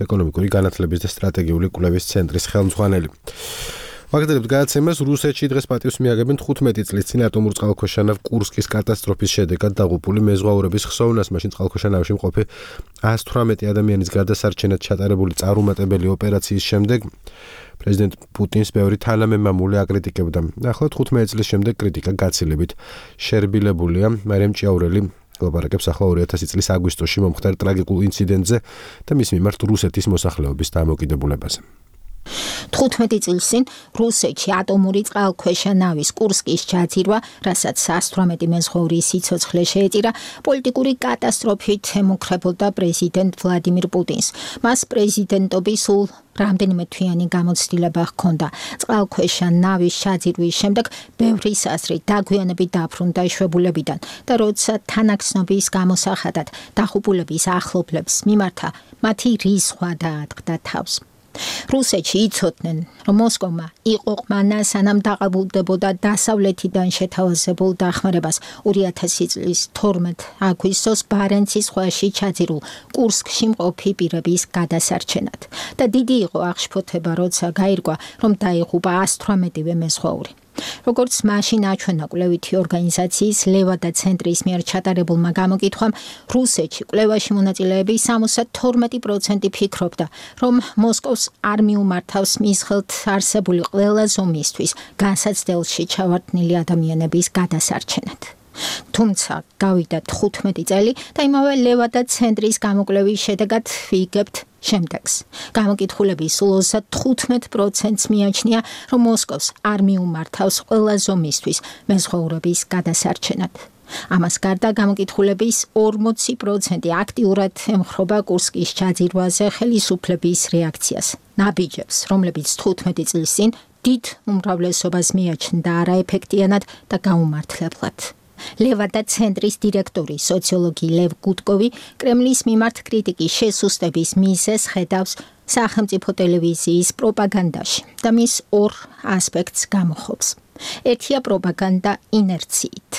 ეკონომიკური განათლების და სტრატეგიული კვლევის ცენტრის ხელმძღვანელი. ვაგრძელებთ გადაცემას. რუსეთში დღეს პატივს მიაგებენ თხუთმეტი წლის წინ ატომურ წყალქვეშანავ კურსკის კატასტროფის შედეგად დაღუპული მეზღვაურების ხსოვნას. მაშინ წყალქვეშანავში მყოფი ას თვრამეტი ადამიანის გადასარჩენად ჩატარებული წარუმატებელი ოპერაციის შემდეგ პრეზიდენტ პუტინს ბევრი თანამემამულე აკრიტიკებდა. ახლა თხუთმეტი წლის შემდეგ კრიტიკა გაცილებით შერბილებულია. მარიამ ჭიაურელი ლაპარაკებს ახლა ორი ათასი წლის აგვისტოში მომხდარ ტრაგიკულ ინციდენტზე და მის მიმართ რუსეთის მოსახლეობის დამოკიდებულებაზე.
თხუთმეტი წლის წინ რუსეთში ატომური წყალქვეშა-ნავის კურსკის ჩაძირვა, რასაც ას თვრამეტი მეზღვაურის სიცოცხლე შეეწირა, პოლიტიკური კატასტროფით ემუქრებოდა პრეზიდენტ ვლადიმირ პუტინს. მას პრეზიდენტობის სულ რამდენიმე თვიანი გამოცდილება ჰქონდა. წყალქვეშა-ნავის ჩაძირვის შემდეგ ბევრი საზრით დაგვიანებით დაბრუნდა შვებულებიდან და როცა თანახმობის გამოსახადად დაღუპულების ახლობლებს მიმართა, მათი რისხვა დაატყდა თავს. რუსეთში იცოდნენ, რომ მოსკოვმა იყო ყმანა სანამ დაყალბდებოდა დასავლეთიდან შეთავაზებულ დახმარებას ორი ათასი წლის თორმეტ აგვისტოს ბარენცის ზღვაში ჩაძირულ კურსკში მყოფი პირების გადასარჩენად. და დიდი იყო აღშფოთება, როცა გაირკვა, რომ დაიღუპა ას თვრამეტივე მეზღვაური. როგორც მაშინ აჩვენა კვლევითი ორგანიზაციის ლევადა ცენტრის მიერ ჩატარებულმა გამოკითხვამ, რუსეთში კვლევაში მონაწილეები სამოცდა თორმეტი პროცენტი ფიქრობდა, რომ მოსკოვს არ მიუმართავს მის ხელთ არსებული ყველა ზომისთვის განსაცდელში ჩავარდნილი ადამიანების გადასარჩენად. თუმცა გავიდა თხუთმეტი წელი და იმავე ლევადა ცენტრის გამოკვლევის შედეგად ვიგებთ შემდეგს. გამოკითხულების სულ ოცდათხუთმეტი პროცენტს მიაჩნია, რომ მოსკოვს არ მიუმართავს ყველა ზომისთვის მეზღვაურების გადასარჩენად. ამას გარდა გამოკითხულების ორმოცი პროცენტი აქტიურად ემხრობა კურსკის ჩაძირვაზე ხელისუფლების რეაქციას. ნაბიჯებს, რომლებიც თხუთმეტი წლის წინ დიდ უმრავლესობას მიაჩნდა არაეფექტიანად და გაუმართლებლად. ლევადა ცენტრის დირექტორი სოციოლოგი ლევ გუტკოვი კრემლის მიმართ კრიტიკის შესუსტების მიზეზს ხედავს სახელმწიფო ტელევიზიის პროპაგანდაში და მის ორ ასპექტს გამოხობს. ერთია პროპაგანდა ინერციით.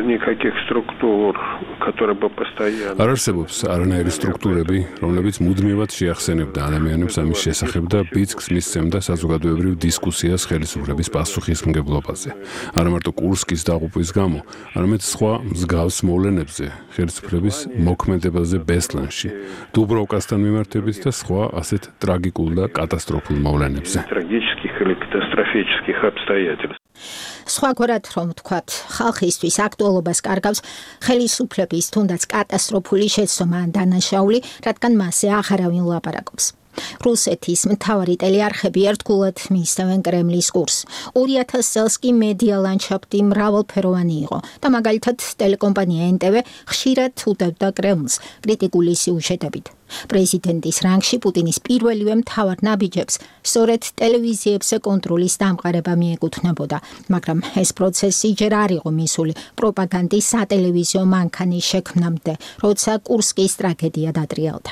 никаких структур, которые бы постоянно
არ არსებობს არანაირი სტრუქტურები, რომლებიც მუდმივად შეახსენებდა ადამიანებს ამის შესახებ და ბიძგს მისცემდა საზოგადოებრივ დისკუსიას ხელისუფლების პასუხისმგებლობაზე. არა მარტო კურსკის დაღუპვის გამო, არამედ სხვა მსგავს მოვლენებზე, ხელისუფლების მოქმედებაზე ბესლანში, დუბროვკასთან მიმართებით და სხვა ასეთ ტრაგიკულ და კატასტროფულ მოვლენებზე.
трагических или катастрофических обстоятельств.
სხვაგვარად რომ ვთქვათ, ხალხისთვის აქტუალობას კარგავს ხელისუფლების თუნდაც კატასტროფული შეცდომა ან დანაშაული, რადგან მასზე აღარავინ ლაპარაკობს. რუსეთის მთავარი ტელეარხები ერთგულად მიისწევენ კრემლის კურსს. ორი ათასი წელს კი მედია ლანდშაფტი მრავალფეროვანი იყო და მაგალითად ტელეკომპანია ენ ტე ვე ხშირად უდევდა კრემლს კრიტიკული სიუჟეტებით. პრეზიდენტის რანგში პუტინის პირველივე მთავარ ნაბიჯებს სწორედ ტელევიზიებზე კონტროლის დამყარება მიეკუთვნებოდა, მაგრამ ეს პროცესი ჯერ არ იყო მისული პროპაგანდის სატელევიზიო მანქანის შექმნამდე, როცა კურსკის ტრაგედია დატრიალდა.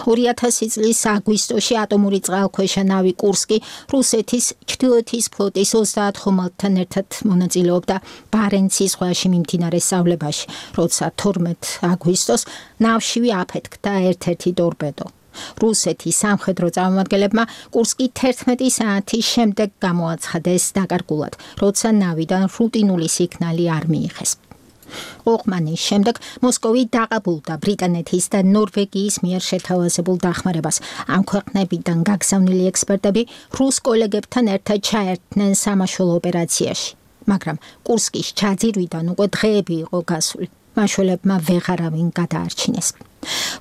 ორი ათასი წლის აგვისტოში ატომური წყალქვეშა ნავი კურსკი რუსეთის ჩრდილოეთის ფლოტის ოცდაათ ხომალდთან ერთად მონაწილეობდა ბარენცის ზღვაში მიმდინარე სწავლებაში, როცა თორმეტ აგვისტოს ნავშივე აფეთქდა ერთ-ერთი ტორპედო. რუსეთის სამხედრო წარმომადგენლებმა კურსკი თერთმეტი საათის შემდეგ გამოაცხადეს დაკარგულად, როცა ნავიდან რუტინული სიგნალი არ მიიღეს. ოღმანის შემდეგ მოსკოვი დაყაბულდა ბრიტანეთის და ნორვეგიის მიერ შეთავაზებულ დახმარებას. ამ ქვეყნებიდან გაგზავნილი ექსპერტები რუს კოლეგებთან ერთად ჩაერთნენ სამაშველო ოპერაციაში, მაგრამ კურსკის ჩაძირვიდან უკვე დღეები იყო გასული. მაშველებმა ვეღარავინ გადაარჩინეს.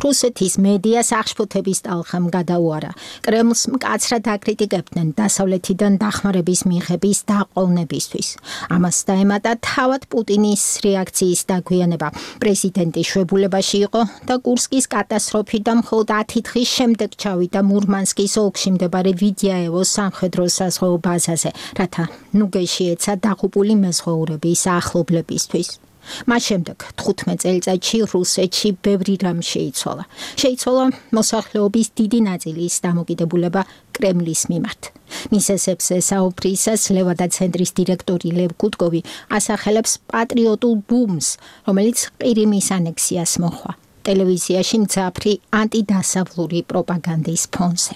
რუსეთის მედია სახშფოთების ტალხამ გადაუარა. კრემლს მკაცრად აკრიტიკებდნენ დასავლეთიდან დახმარების მიღების დაყოვნებისთვის. ამას დაემატა თავად პუტინის რეაქციის დაგვიანება. პრეზიდენტი შვებულებაში იყო და კურსკის კატასტროფიდან მხოლოდ ათი დღის შემდეგ ჩავიდა მურმანსკის ოლქში მდებარე ვიდიაევოს სამხედრო საზღვაო ბაზაზე, რათა ნუგეში ეცა დაღუპული მეზღვაურების ახლობლებისთვის. მას შემდეგ თხუთმეტ წელიწადში რუსეთში ბევრი რამ შეიცვალა. შეიცვალა მოსახლეობის დიდი ნაწილის დამოკიდებულება კრემლის მიმართ. მისესებზე საუბრისას ლევადა ცენტრის დირექტორი ლევ გუდკოვი ასახელებს პატრიოტულ ბუმს, რომელიც ყირიმის ანექსიას მოჰყვა. ტელევიზიაში მძაფრი ანტიდასავლური პროპაგანდის ფონზე.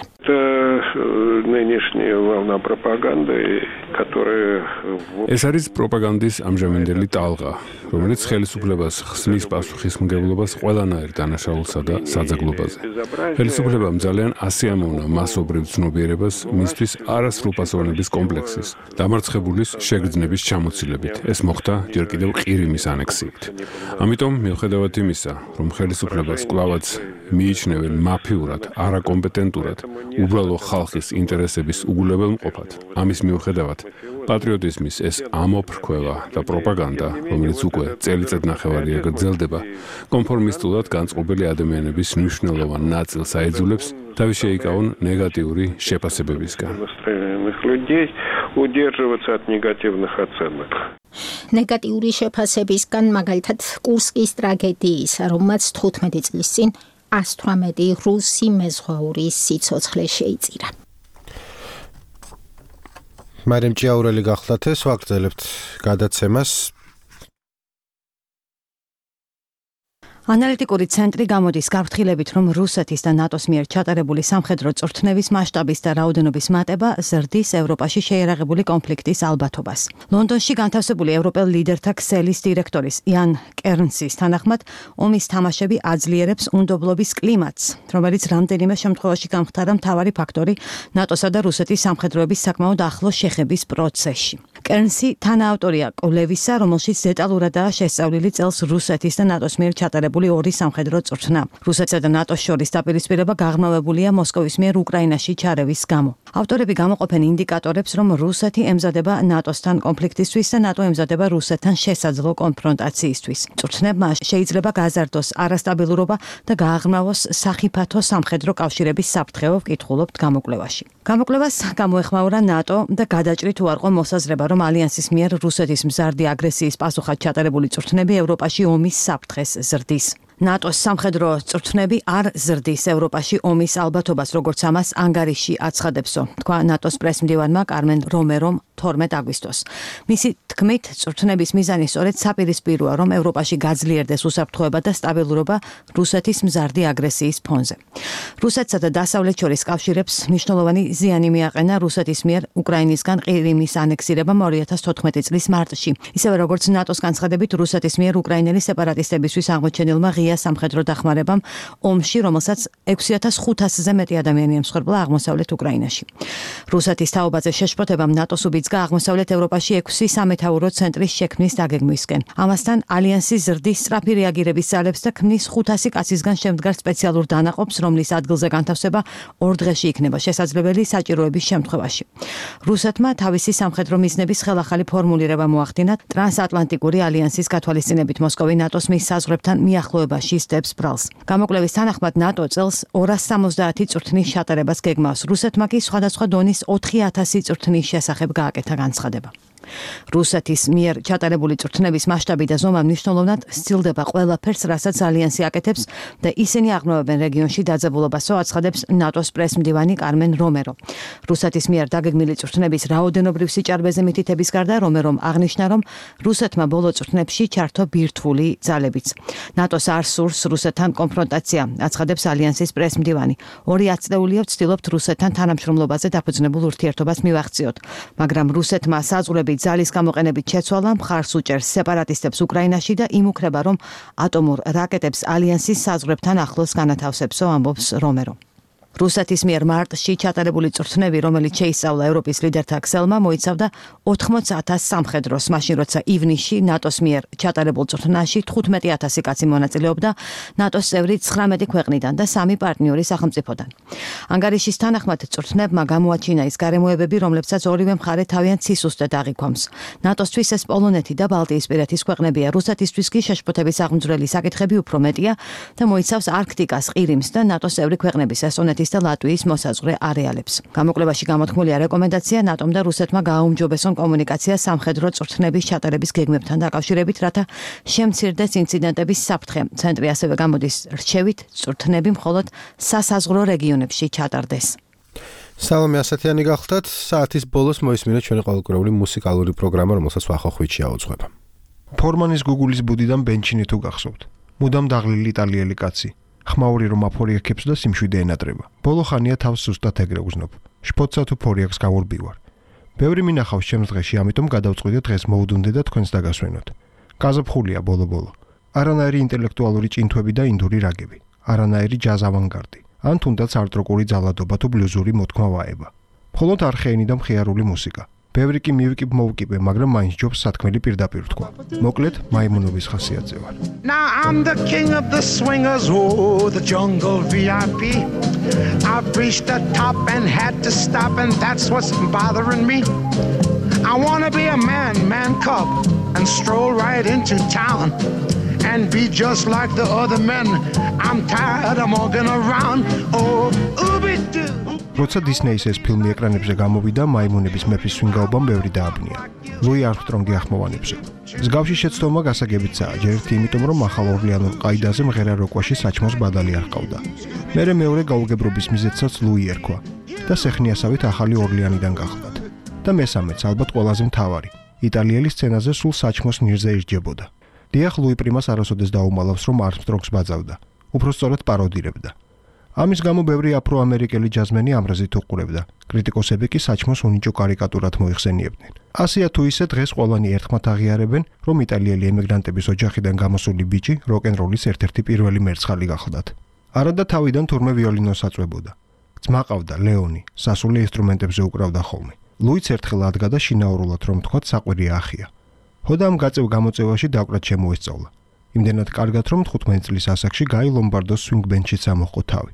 Нынешняя волна пропаганды, которая...
ეს არის პროპაგანდის ამჟამინდელი ტალღა, რომელიც ხელისუფლებას ხსნის პასუხისმგებლობას ყველანაირ დანაშაულსა და საძაგლობაზე. ხელისუფლებამ ძალიან ასიამოვნა მასობრივ ცნობიერებას მისთვის არასრულფასოვანების კომპლექსის, დამარცხებულის შეგრძნების ჩამოცილებით. ეს მოხდა ჯერ კიდევ ყირიმის ანექსიით. ამიტომ მიუხედავად იმისა, რომ ხელისუფლებას კვლავაც მიიჩნევენ მაფიურად, არაკომპეტენტურად, უბრალო ხალხის ინტერესების უგულებელმყოფად, ამის მიუხედავად პატრიოტიზმის ეს ამოფრქვევა და პროპაგანდა, რომელიც უკვე წელიწადნახევარია გრძელდება, კონფორმისტულად განწყობილი ადამიანების მნიშვნელოვან ნაწილს აიძულებს თავის შეიკავონ ნეგატიური შეფასებებისგან.
ნეგატიური შეფასებისგან მაგალითად კურსკის ტრაგედიისა, რომელმაც თხუთმეტი წლის წინ ას თვრამეტი რუსი მეზღვაურის სიცოცხლე შეიწირა.
მარემ ჭიაურელი გახლდათ ეს ვაგრძელებთ გადაცემას.
ანალიტიკური ცენტრი გამოდის გაფრთხილებით, რომ რუსეთის და ნატოს მიერ ჩატარებული სამხედრო წვრთნების მასშტაბის და რაოდენობის მატება ზრდის ევროპაში შეიარაღებული კონფლიქტის ალბათობას. ლონდონში განთავსებული ევროპელ ლიდერთა ქსელის დირექტორის იან კერნსის თანახმად, ომის თამაშები აძლიერებს უნდობლობის კლიმატს, რომელიც რამდენიმე შემთხვევაში გამხდარა მთავარი ფაქტორი ნატოსა და რუსეთის სამხედროების საკმაოდ ახლო შეხების პროცესში. კერნსი თანაავტორია კვლევისა, რომელშიც დეტალურადაა შესწავლილი წელს რუსეთის და ნატოს მიერ ჩატარებული ორი სამხედრო წვრთნა. რუსეთსა და ნატოს შორის დაპირისპირება გაღრმავებულია მოსკოვის მიერ უკრაინაში ჩარევის გამო. ავტორები გამოყოფენ ინდიკატორებს, რომ რუსეთი ემზადება ნატოსთან კონფლიქტისთვის და ნატო ემზადება რუსეთთან შესაძლო კონფრონტაციისთვის. წვრთნებმა შეიძლება გაზარდოს არასტაბილურობა და გააღრმავოს სახიფათო სამხედრო კავშირების საფრთხეო, ვკითხულობთ გამოკვლევაში. გამოკვლევას გამოეხმაურა ნატო და გადაჭრით უარყო მოსაზრება, რომ ალიანსის მიერ რუსეთის მზარდი აგრესიის პასუხად ჩატარებული წვრთნები ევროპაში ომის საფრთხეს ზრდის. ნატოს სამხედრო წვრთნები არ ზრდის ევროპაში ომის ალბათობას, როგორც ამას ანგარიში აცხადებსო, თქვა ნატოს პრესმდივანმა კარმენ რომერომ თორმეტ აგვისტოს. მისი თქმით, წვრთნების მიზანი სწორედ საპირისპიროა, რომ ევროპაში გაძლიერდეს უსაფრთხოება და სტაბილურობა რუსეთის მზარდი აგრესიის ფონზე. რუსეთსა და დასავლეთ შორის კავშირებს მნიშვნელოვანი ზიანი მიაყენა რუსეთის მიერ უკრაინისგან ყირიმის ანექსირებამ ორი ათას თოთხმეტი წლის მარტში. ისევე როგორც ნატოს განცხადებით, რუსეთის მიერ უკრაინელი სეპარატისტებისთვის აღმოჩენილმა ღია სამხედრო დახმარებამ ომში, რომელსაც ექვსი ათას ხუთასზე მეტი ადამიანი ემსხვერპლა აღმოსავლეთ უკრაინაში. რუსეთის თაობაზე შეშფოთებამ ნატოს უბიძგა აღმოსავლეთ ევროპაში ექვსი სამეთაურო ცენტრის შექმნის დაგეგმვისკენ. ამასთან ალიანსი ზრდის სწრაფი რეაგირების ძალებს და ქმნის ხუთასი კაცისგან შემდგარ სპეციალურ დანაყოფს, რომლის ადგილზე განთავსება ორ დღეში იქნება შესაძლებელი საჭიროების შემთხვევაში. რუსეთმა თავისი სამხედრო მიზნების ხელახალი ფორმულირება მოახდინა ტრანსატლანტიკური ალიანსის გათვალისწინებით მოსკოვი ნატოს მის საზღვრებთან მიახლოებაში სდებს ბრალს. გამოკვლევის თანახმად ნატო წელს ორას სამოცდაათი წვრთნის ჩატარებას გეგმავს. რუსეთმა კი სხვადასხვა დონის ოთხი ათასი წვრთნის შესახებ გააკეთა განცხადება. რუსეთის მიერ ჩატარებული წვრთნების მასშტაბი და ზომა მნიშვნელოვნად სცილდება ყველაფერს, რასაც ალიანსი აკეთებს და ისინი აღრმავებენ რეგიონში დაძაბულობასო, აცხადებს ნატოს პრესმდივანი კარმენ რომერო. რუსეთის მიერ დაგეგმილი წვრთნების რაოდენობრივ სიჭარბეზე მითითების გარდა რომერომ აღნიშნა, რომ რუსეთმა ბოლო წვრთნებში ჩართო ბირთვული ძალებიც. ნატოს არ სურს რუსეთთან კონფრონტაცია, აცხადებს ალიანსის პრესმდივანი. ორი ათწლეულია ვცდილობთ რუსეთთან თანამშრომლობაზე დაფუძნებულ ურთიერთობას მივახციოთ, მაგრამ რუსეთმა საზღვრები ძალის გამოყენებით შეცვალა, მხარს უჭერს სეპარატისტებს უკრაინაში და იმუქრება, რომ ატომურ რაკეტებს ალიანსის საზღვრებთან ახლოს განათავსებსო, ამბობს რომერო. რუსეთის მიერ მარტში ჩატარებული წვრთნები, რომელიც შეისწავლა ევროპის ლიდერთა ქსელმა, მოიცავდა ოთხმოც ათასს სამხედროს, მაშინ როცა ივნისში ნატოს მიერ ჩატარებულ წვრთნაში თხუთმეტი ათასი კაცი მონაწილეობდა ნატოს წევრი ცხრამეტი ქვეყნიდან და სამი პარტნიორი სახელმწიფოდან. ანგარიშის თანახმად წვრთნებმა გამოაჩინა ის გარემოებები, რომლებსაც ორივე მხარე თავიანთ სისუსტედ აღიქვამს. ნატოსთვის ეს პოლონეთი და ბალტიისპირეთის ქვეყნებია, რუსეთისთვის კი შეშფოთების აღმძვრელი საკითხები უფრო მეტია და მოიცავს არქტიკას, ყირიმს და ნატოს წევრი ქვეყნების ესტონეთის და ლატვიის მოსაზღვრე არეალებს. გამოკვლევაში გამოთქმულია რეკომენდაცია ნატომ და რუსეთმა გააუმჯობესონ კომუნიკაცია სამხედრო წვრთნების ჩატარების გეგმებთან დაკავშირებით, რათა შემცირდეს ინციდენტების საფრთხე. ცენტრი ასევე გამოდის რჩევით წვრთნები მხოლოდ სასაზღვრო რეგიონებში ჩატარდეს.
სალომე ასათიანი გახლდათ, საათის ბოლოს მოისმინეთ ჩვენი ყოველკვირეული მუსიკალური პროგრამა, რომელსაც ვახო ხვიჩი აუძღვება.
ფორმანის გუგულის ბუდიდან ბენჩინი თუ გახსოვთ. მუდამ დაღლილი იტალიელი კაცი. ხმაური რომ აფორიაქებს და სიმშვიდე ენატრება. ბოლო ხანია თავს სუსტად ეგრევზნობ. შფოთსა თუ ფორიაქს გავურბივარ. ბევრი მინახავს ჩემს დღეში, ამიტომ გადავწყვიტე დღეს მოვუდუნდე და თქვენს დაგასვენოთ. გაზაფხულია ბოლო-ბოლო. არანაირი ინტელექტუალური ჭინთვები და ინდური რაგები. არანაირი ჯაზ ავანგარდი. ან თუნდაც არტ-როკული ძალადობა თუ ბლუზური მოთქმა ვაება. მხოლოდ არხეენი და მხიარული მუსიკა. ბევრი კი მივიკიბ მოვკიბე, მაგრამ მაინც ჯობს სათქმელი პირდაპირ თქვა. მოკლედ, მაიმუნობის ხასიათზე ვარ.
Now I'm the king of the swingers, oh, the jungle V I P. I've reached the top and had to stop, and that's what's bothering me. I wanna be a man, man cub, and stroll right into town, and be just like the other men. I'm tired of walking around, oh, ooby-doo.
როცა დისნეის ეს ფილმი ეკრანებზე გამოვიდა, მაიმუნების მეფის სვინგაობამ ბევრი დააბნია. ლუი არმსტრონგი ახმოვანებსო. მსგავსი შეცდომა გასაგებიცაა, ჯერ ერთი იმიტომ, რომ ახალ ორლეანურ ყაიდაზე მღერა როკვაში საჭმოს ბადალი არ ყავდა. მერე მეორე გაუგებრობის მიზეზსაც ლუი ერქვა და სეხნიასავით ახალი ორლეანიდან გახლდათ. და მესამეც, ალბათ ყველაზე მთავარი, იტალიელი სცენაზე სულ საჭმოს ნირზე ირჯებოდა. დიახ, ლუი პრიმას არასოდეს დაუმალავს, რომ არმსტრონგს ბაძავდა. უფრო სწორედ პაროდირებდა. ამის გამო ბევრი აფრო-ამერიკელი ჯაზმენი ამრაზით უყურებდა. კრიტიკოსები კი საჭმოს უნიჭო კარიკატურად მოიხსენიებდნენ. ასია თუ ისე დღეს ყველანი ერთხმად აღიარებენ, რომ იტალიელი ემიგრანტების ოჯახიდან გამოსული ბიჭი როკ-ენ-როლის ერთ-ერთი პირველი მერცხალი გახლდათ. არადა თავიდან თურმე ვიოლინოს აწვებოდა. ძმა ყავდა ლეონი, სასულე ინსტრუმენტებზე უკრავდა ხოლმე. ლუიც ერთხელ ადგა და შინაურულად რომ თქვათ საყვირია ახია. ხოდა ამ გაწევ გამოწევაში დაკვრად შემოესწავლა. იმდენად კარგად რომ თხუთმეტი წლის ასაკში გაი ლომბარდოს სვინგ ბენდშიც ამოჰყო თავი.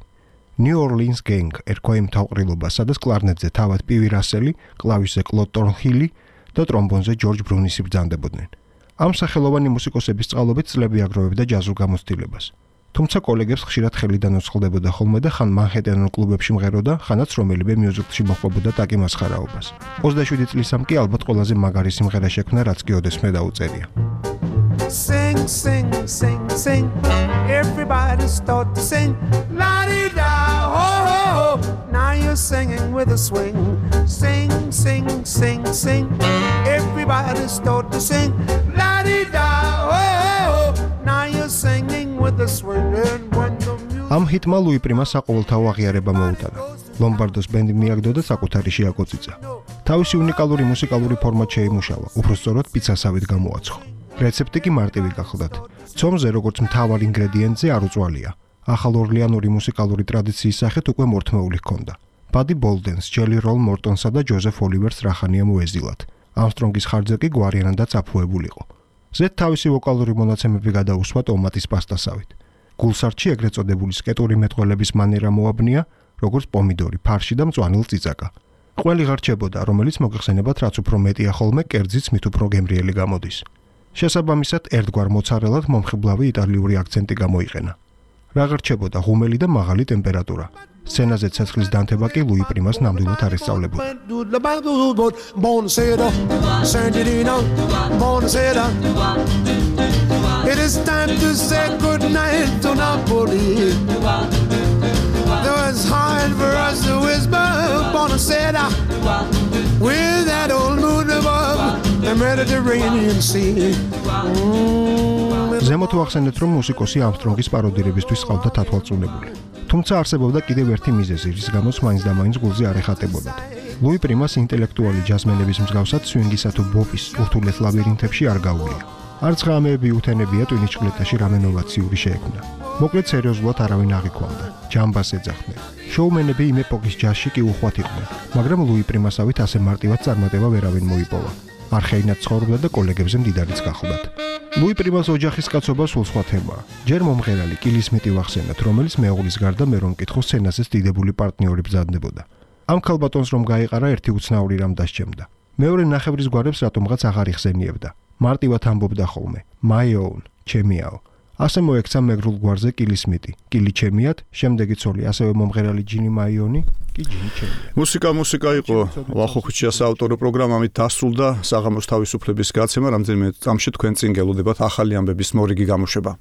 New Orleans Gang ერქვა იმ თავყრილობას, სადაც კლარნეტზე თავად პივი რასელი, კლავიშზე კლოდ ტორნჰილი და ტრომბონზე ჯორჯ ბრუნისი ბრძანდებოდნენ. ამ სახელოვანი მუსიკოსების წყალობით წლები აგროვებდა ჯაზურ გამოცდილებას. თუმცა კოლეგებს ხშირად ხელიდან უცხლდებოდა ხოლმე და ხან მანჰეტენურ კლუბებში მღეროდა, ხანაც რომელიმე მიუზიკლში მოხვდებოდა ტაკი მასხარაობას. ოცდაშვიდი წლისამ კი ალბათ ყველაზე მაგარი სიმღერა შექმნა, რაც კი ოდესმე დაუწერია.
Sing, sing, sing, sing. Everybody start to sing. La-di-da, ho, ho, ho. Now you're singing with a swing. Sing, sing, sing, sing. Everybody start to sing. La-di-da, ho, ho, ho. Now you're singing with a swing. And when the music...
ამ ჰიტმა ლუი პრიმა საყოველთაო აღიარება მოუტანა. ლომბარდოს ბენდი მიაგდო და საკუთარი შეაკოწიცა. თავისი უნიკალური მუსიკალური ფორმატ შეიმუშავა, უფრო სწორად პიცასავით გამოაცხო. რეცეპტი კი მარტივი გახლდათ. ცომზე როგორც მთავარ ინგრედიენტზე არ უწვალია. ახალ ორლეანური მუსიკალური ტრადიციის სახით უკვე მორთმეული ჰქონდა. ბადი ბოლდენს, ჯელი როლ მორტონსა და ჯოზეფ ოლივერს რახანია მოეზილათ. ამსტრონგის ხარჯზე კი გვარიანად და წაფუებულიყო. ზედ თავისი ვოკალური მონაცემები გადაუსვა ტომატის პასტასავით. გულსარჩი ეგრეთ წოდებული სკეტური მეტყველების მანერა მოაბნია, როგორც პომიდორი, ფარში და მწვანილ წიწაკა. ყველი ღარჩებოდა, რომელიც მოგეხსენებათ, რაც უფრო მეტია ხოლმე, კერძიც მით უფრო გემრიელი გამოდის. შესაბამისად, ერთგვარ მოცარელად მომხიბლავი იტალიური აქცენტი გამოიყენა. რა ღარჩებოდა ღუმელი და მაღალი ტემპერატურა. სცენაზე ცეცხლის დანთება კი ლუი პრიმას ნამდვილად არ ესწავლებოდა.
It is time to say good night to Napoli. Though it's hard for us to whisper Buonasera with that old moon above the Mediterranean Sea.
ზემოთ ვახსენეთ, რომ მუსიკოსი ამსტრონგის პაროდირებისთვის ყავდა თათვალწუნებული. თუმცა არსებობდა კიდევ ერთი მიზეზი, რის გამოც მაინც და მაინც გულზე არ ეხატებოდათ. ლუი პრიმას ინტელექტუალი ჯაზმენების მსგავსად სვინგისა თუ ბოპის ურთულეს ლაბირინთებში არ გაუვლია. არც ღამეები უთენებია ტვინიჩკლეტაში რამე ნოვაციური შეექმნა. მოკლედ სერიოზულად არავინ აღიქვამდა. ჯამბას ეძახდნენ. შოუმენები იმ ეპოქის ჯაზში კი უხვად იყვნენ, მაგრამ ლუი პრიმასავით ასე მარტივად წარმატება ვერავინ მოიპოვა. არხეინად ცხოვრობდა და კოლეგებზე მდიდარიც გახლდათ. ლუი პრიმას ოჯახის კაცობა სულ სხვა თემაა. ჯერ მომღერალი კილი სმიტი ვახსენოთ, რომელიც მეუღლის გარდა მე რომ მკითხო სცენაზეც დიდებული პარტნიორი ბრძანდებოდა. ამ ქალბატონს რომ გაიყარა ერთი უცნაური რამ დასჭემდა. მეორე ნახევრის გვარებს რატომღაც აღარ იხსენიებდა. მარტივად ამბობდა ხოლმე my own, ჩემიაო. ასე მოექცა მეგრულ გვარზე კილი სმიტი, კილი ჩემიათ, შემდეგი ცოლი, ასევე მომღერალი ჯინი მაიონი, კი ჯინი ჩემია.
მუსიკა მუსიკა იყო ვახოხუჩიას ავტორო პროგრამა ამით დასრულდა საღამოს თავისუფლების გაცემა, რამდენიმე წამში თქვენ წინ გელოდებათ ახალი ამბების მორიგი გამოშვება.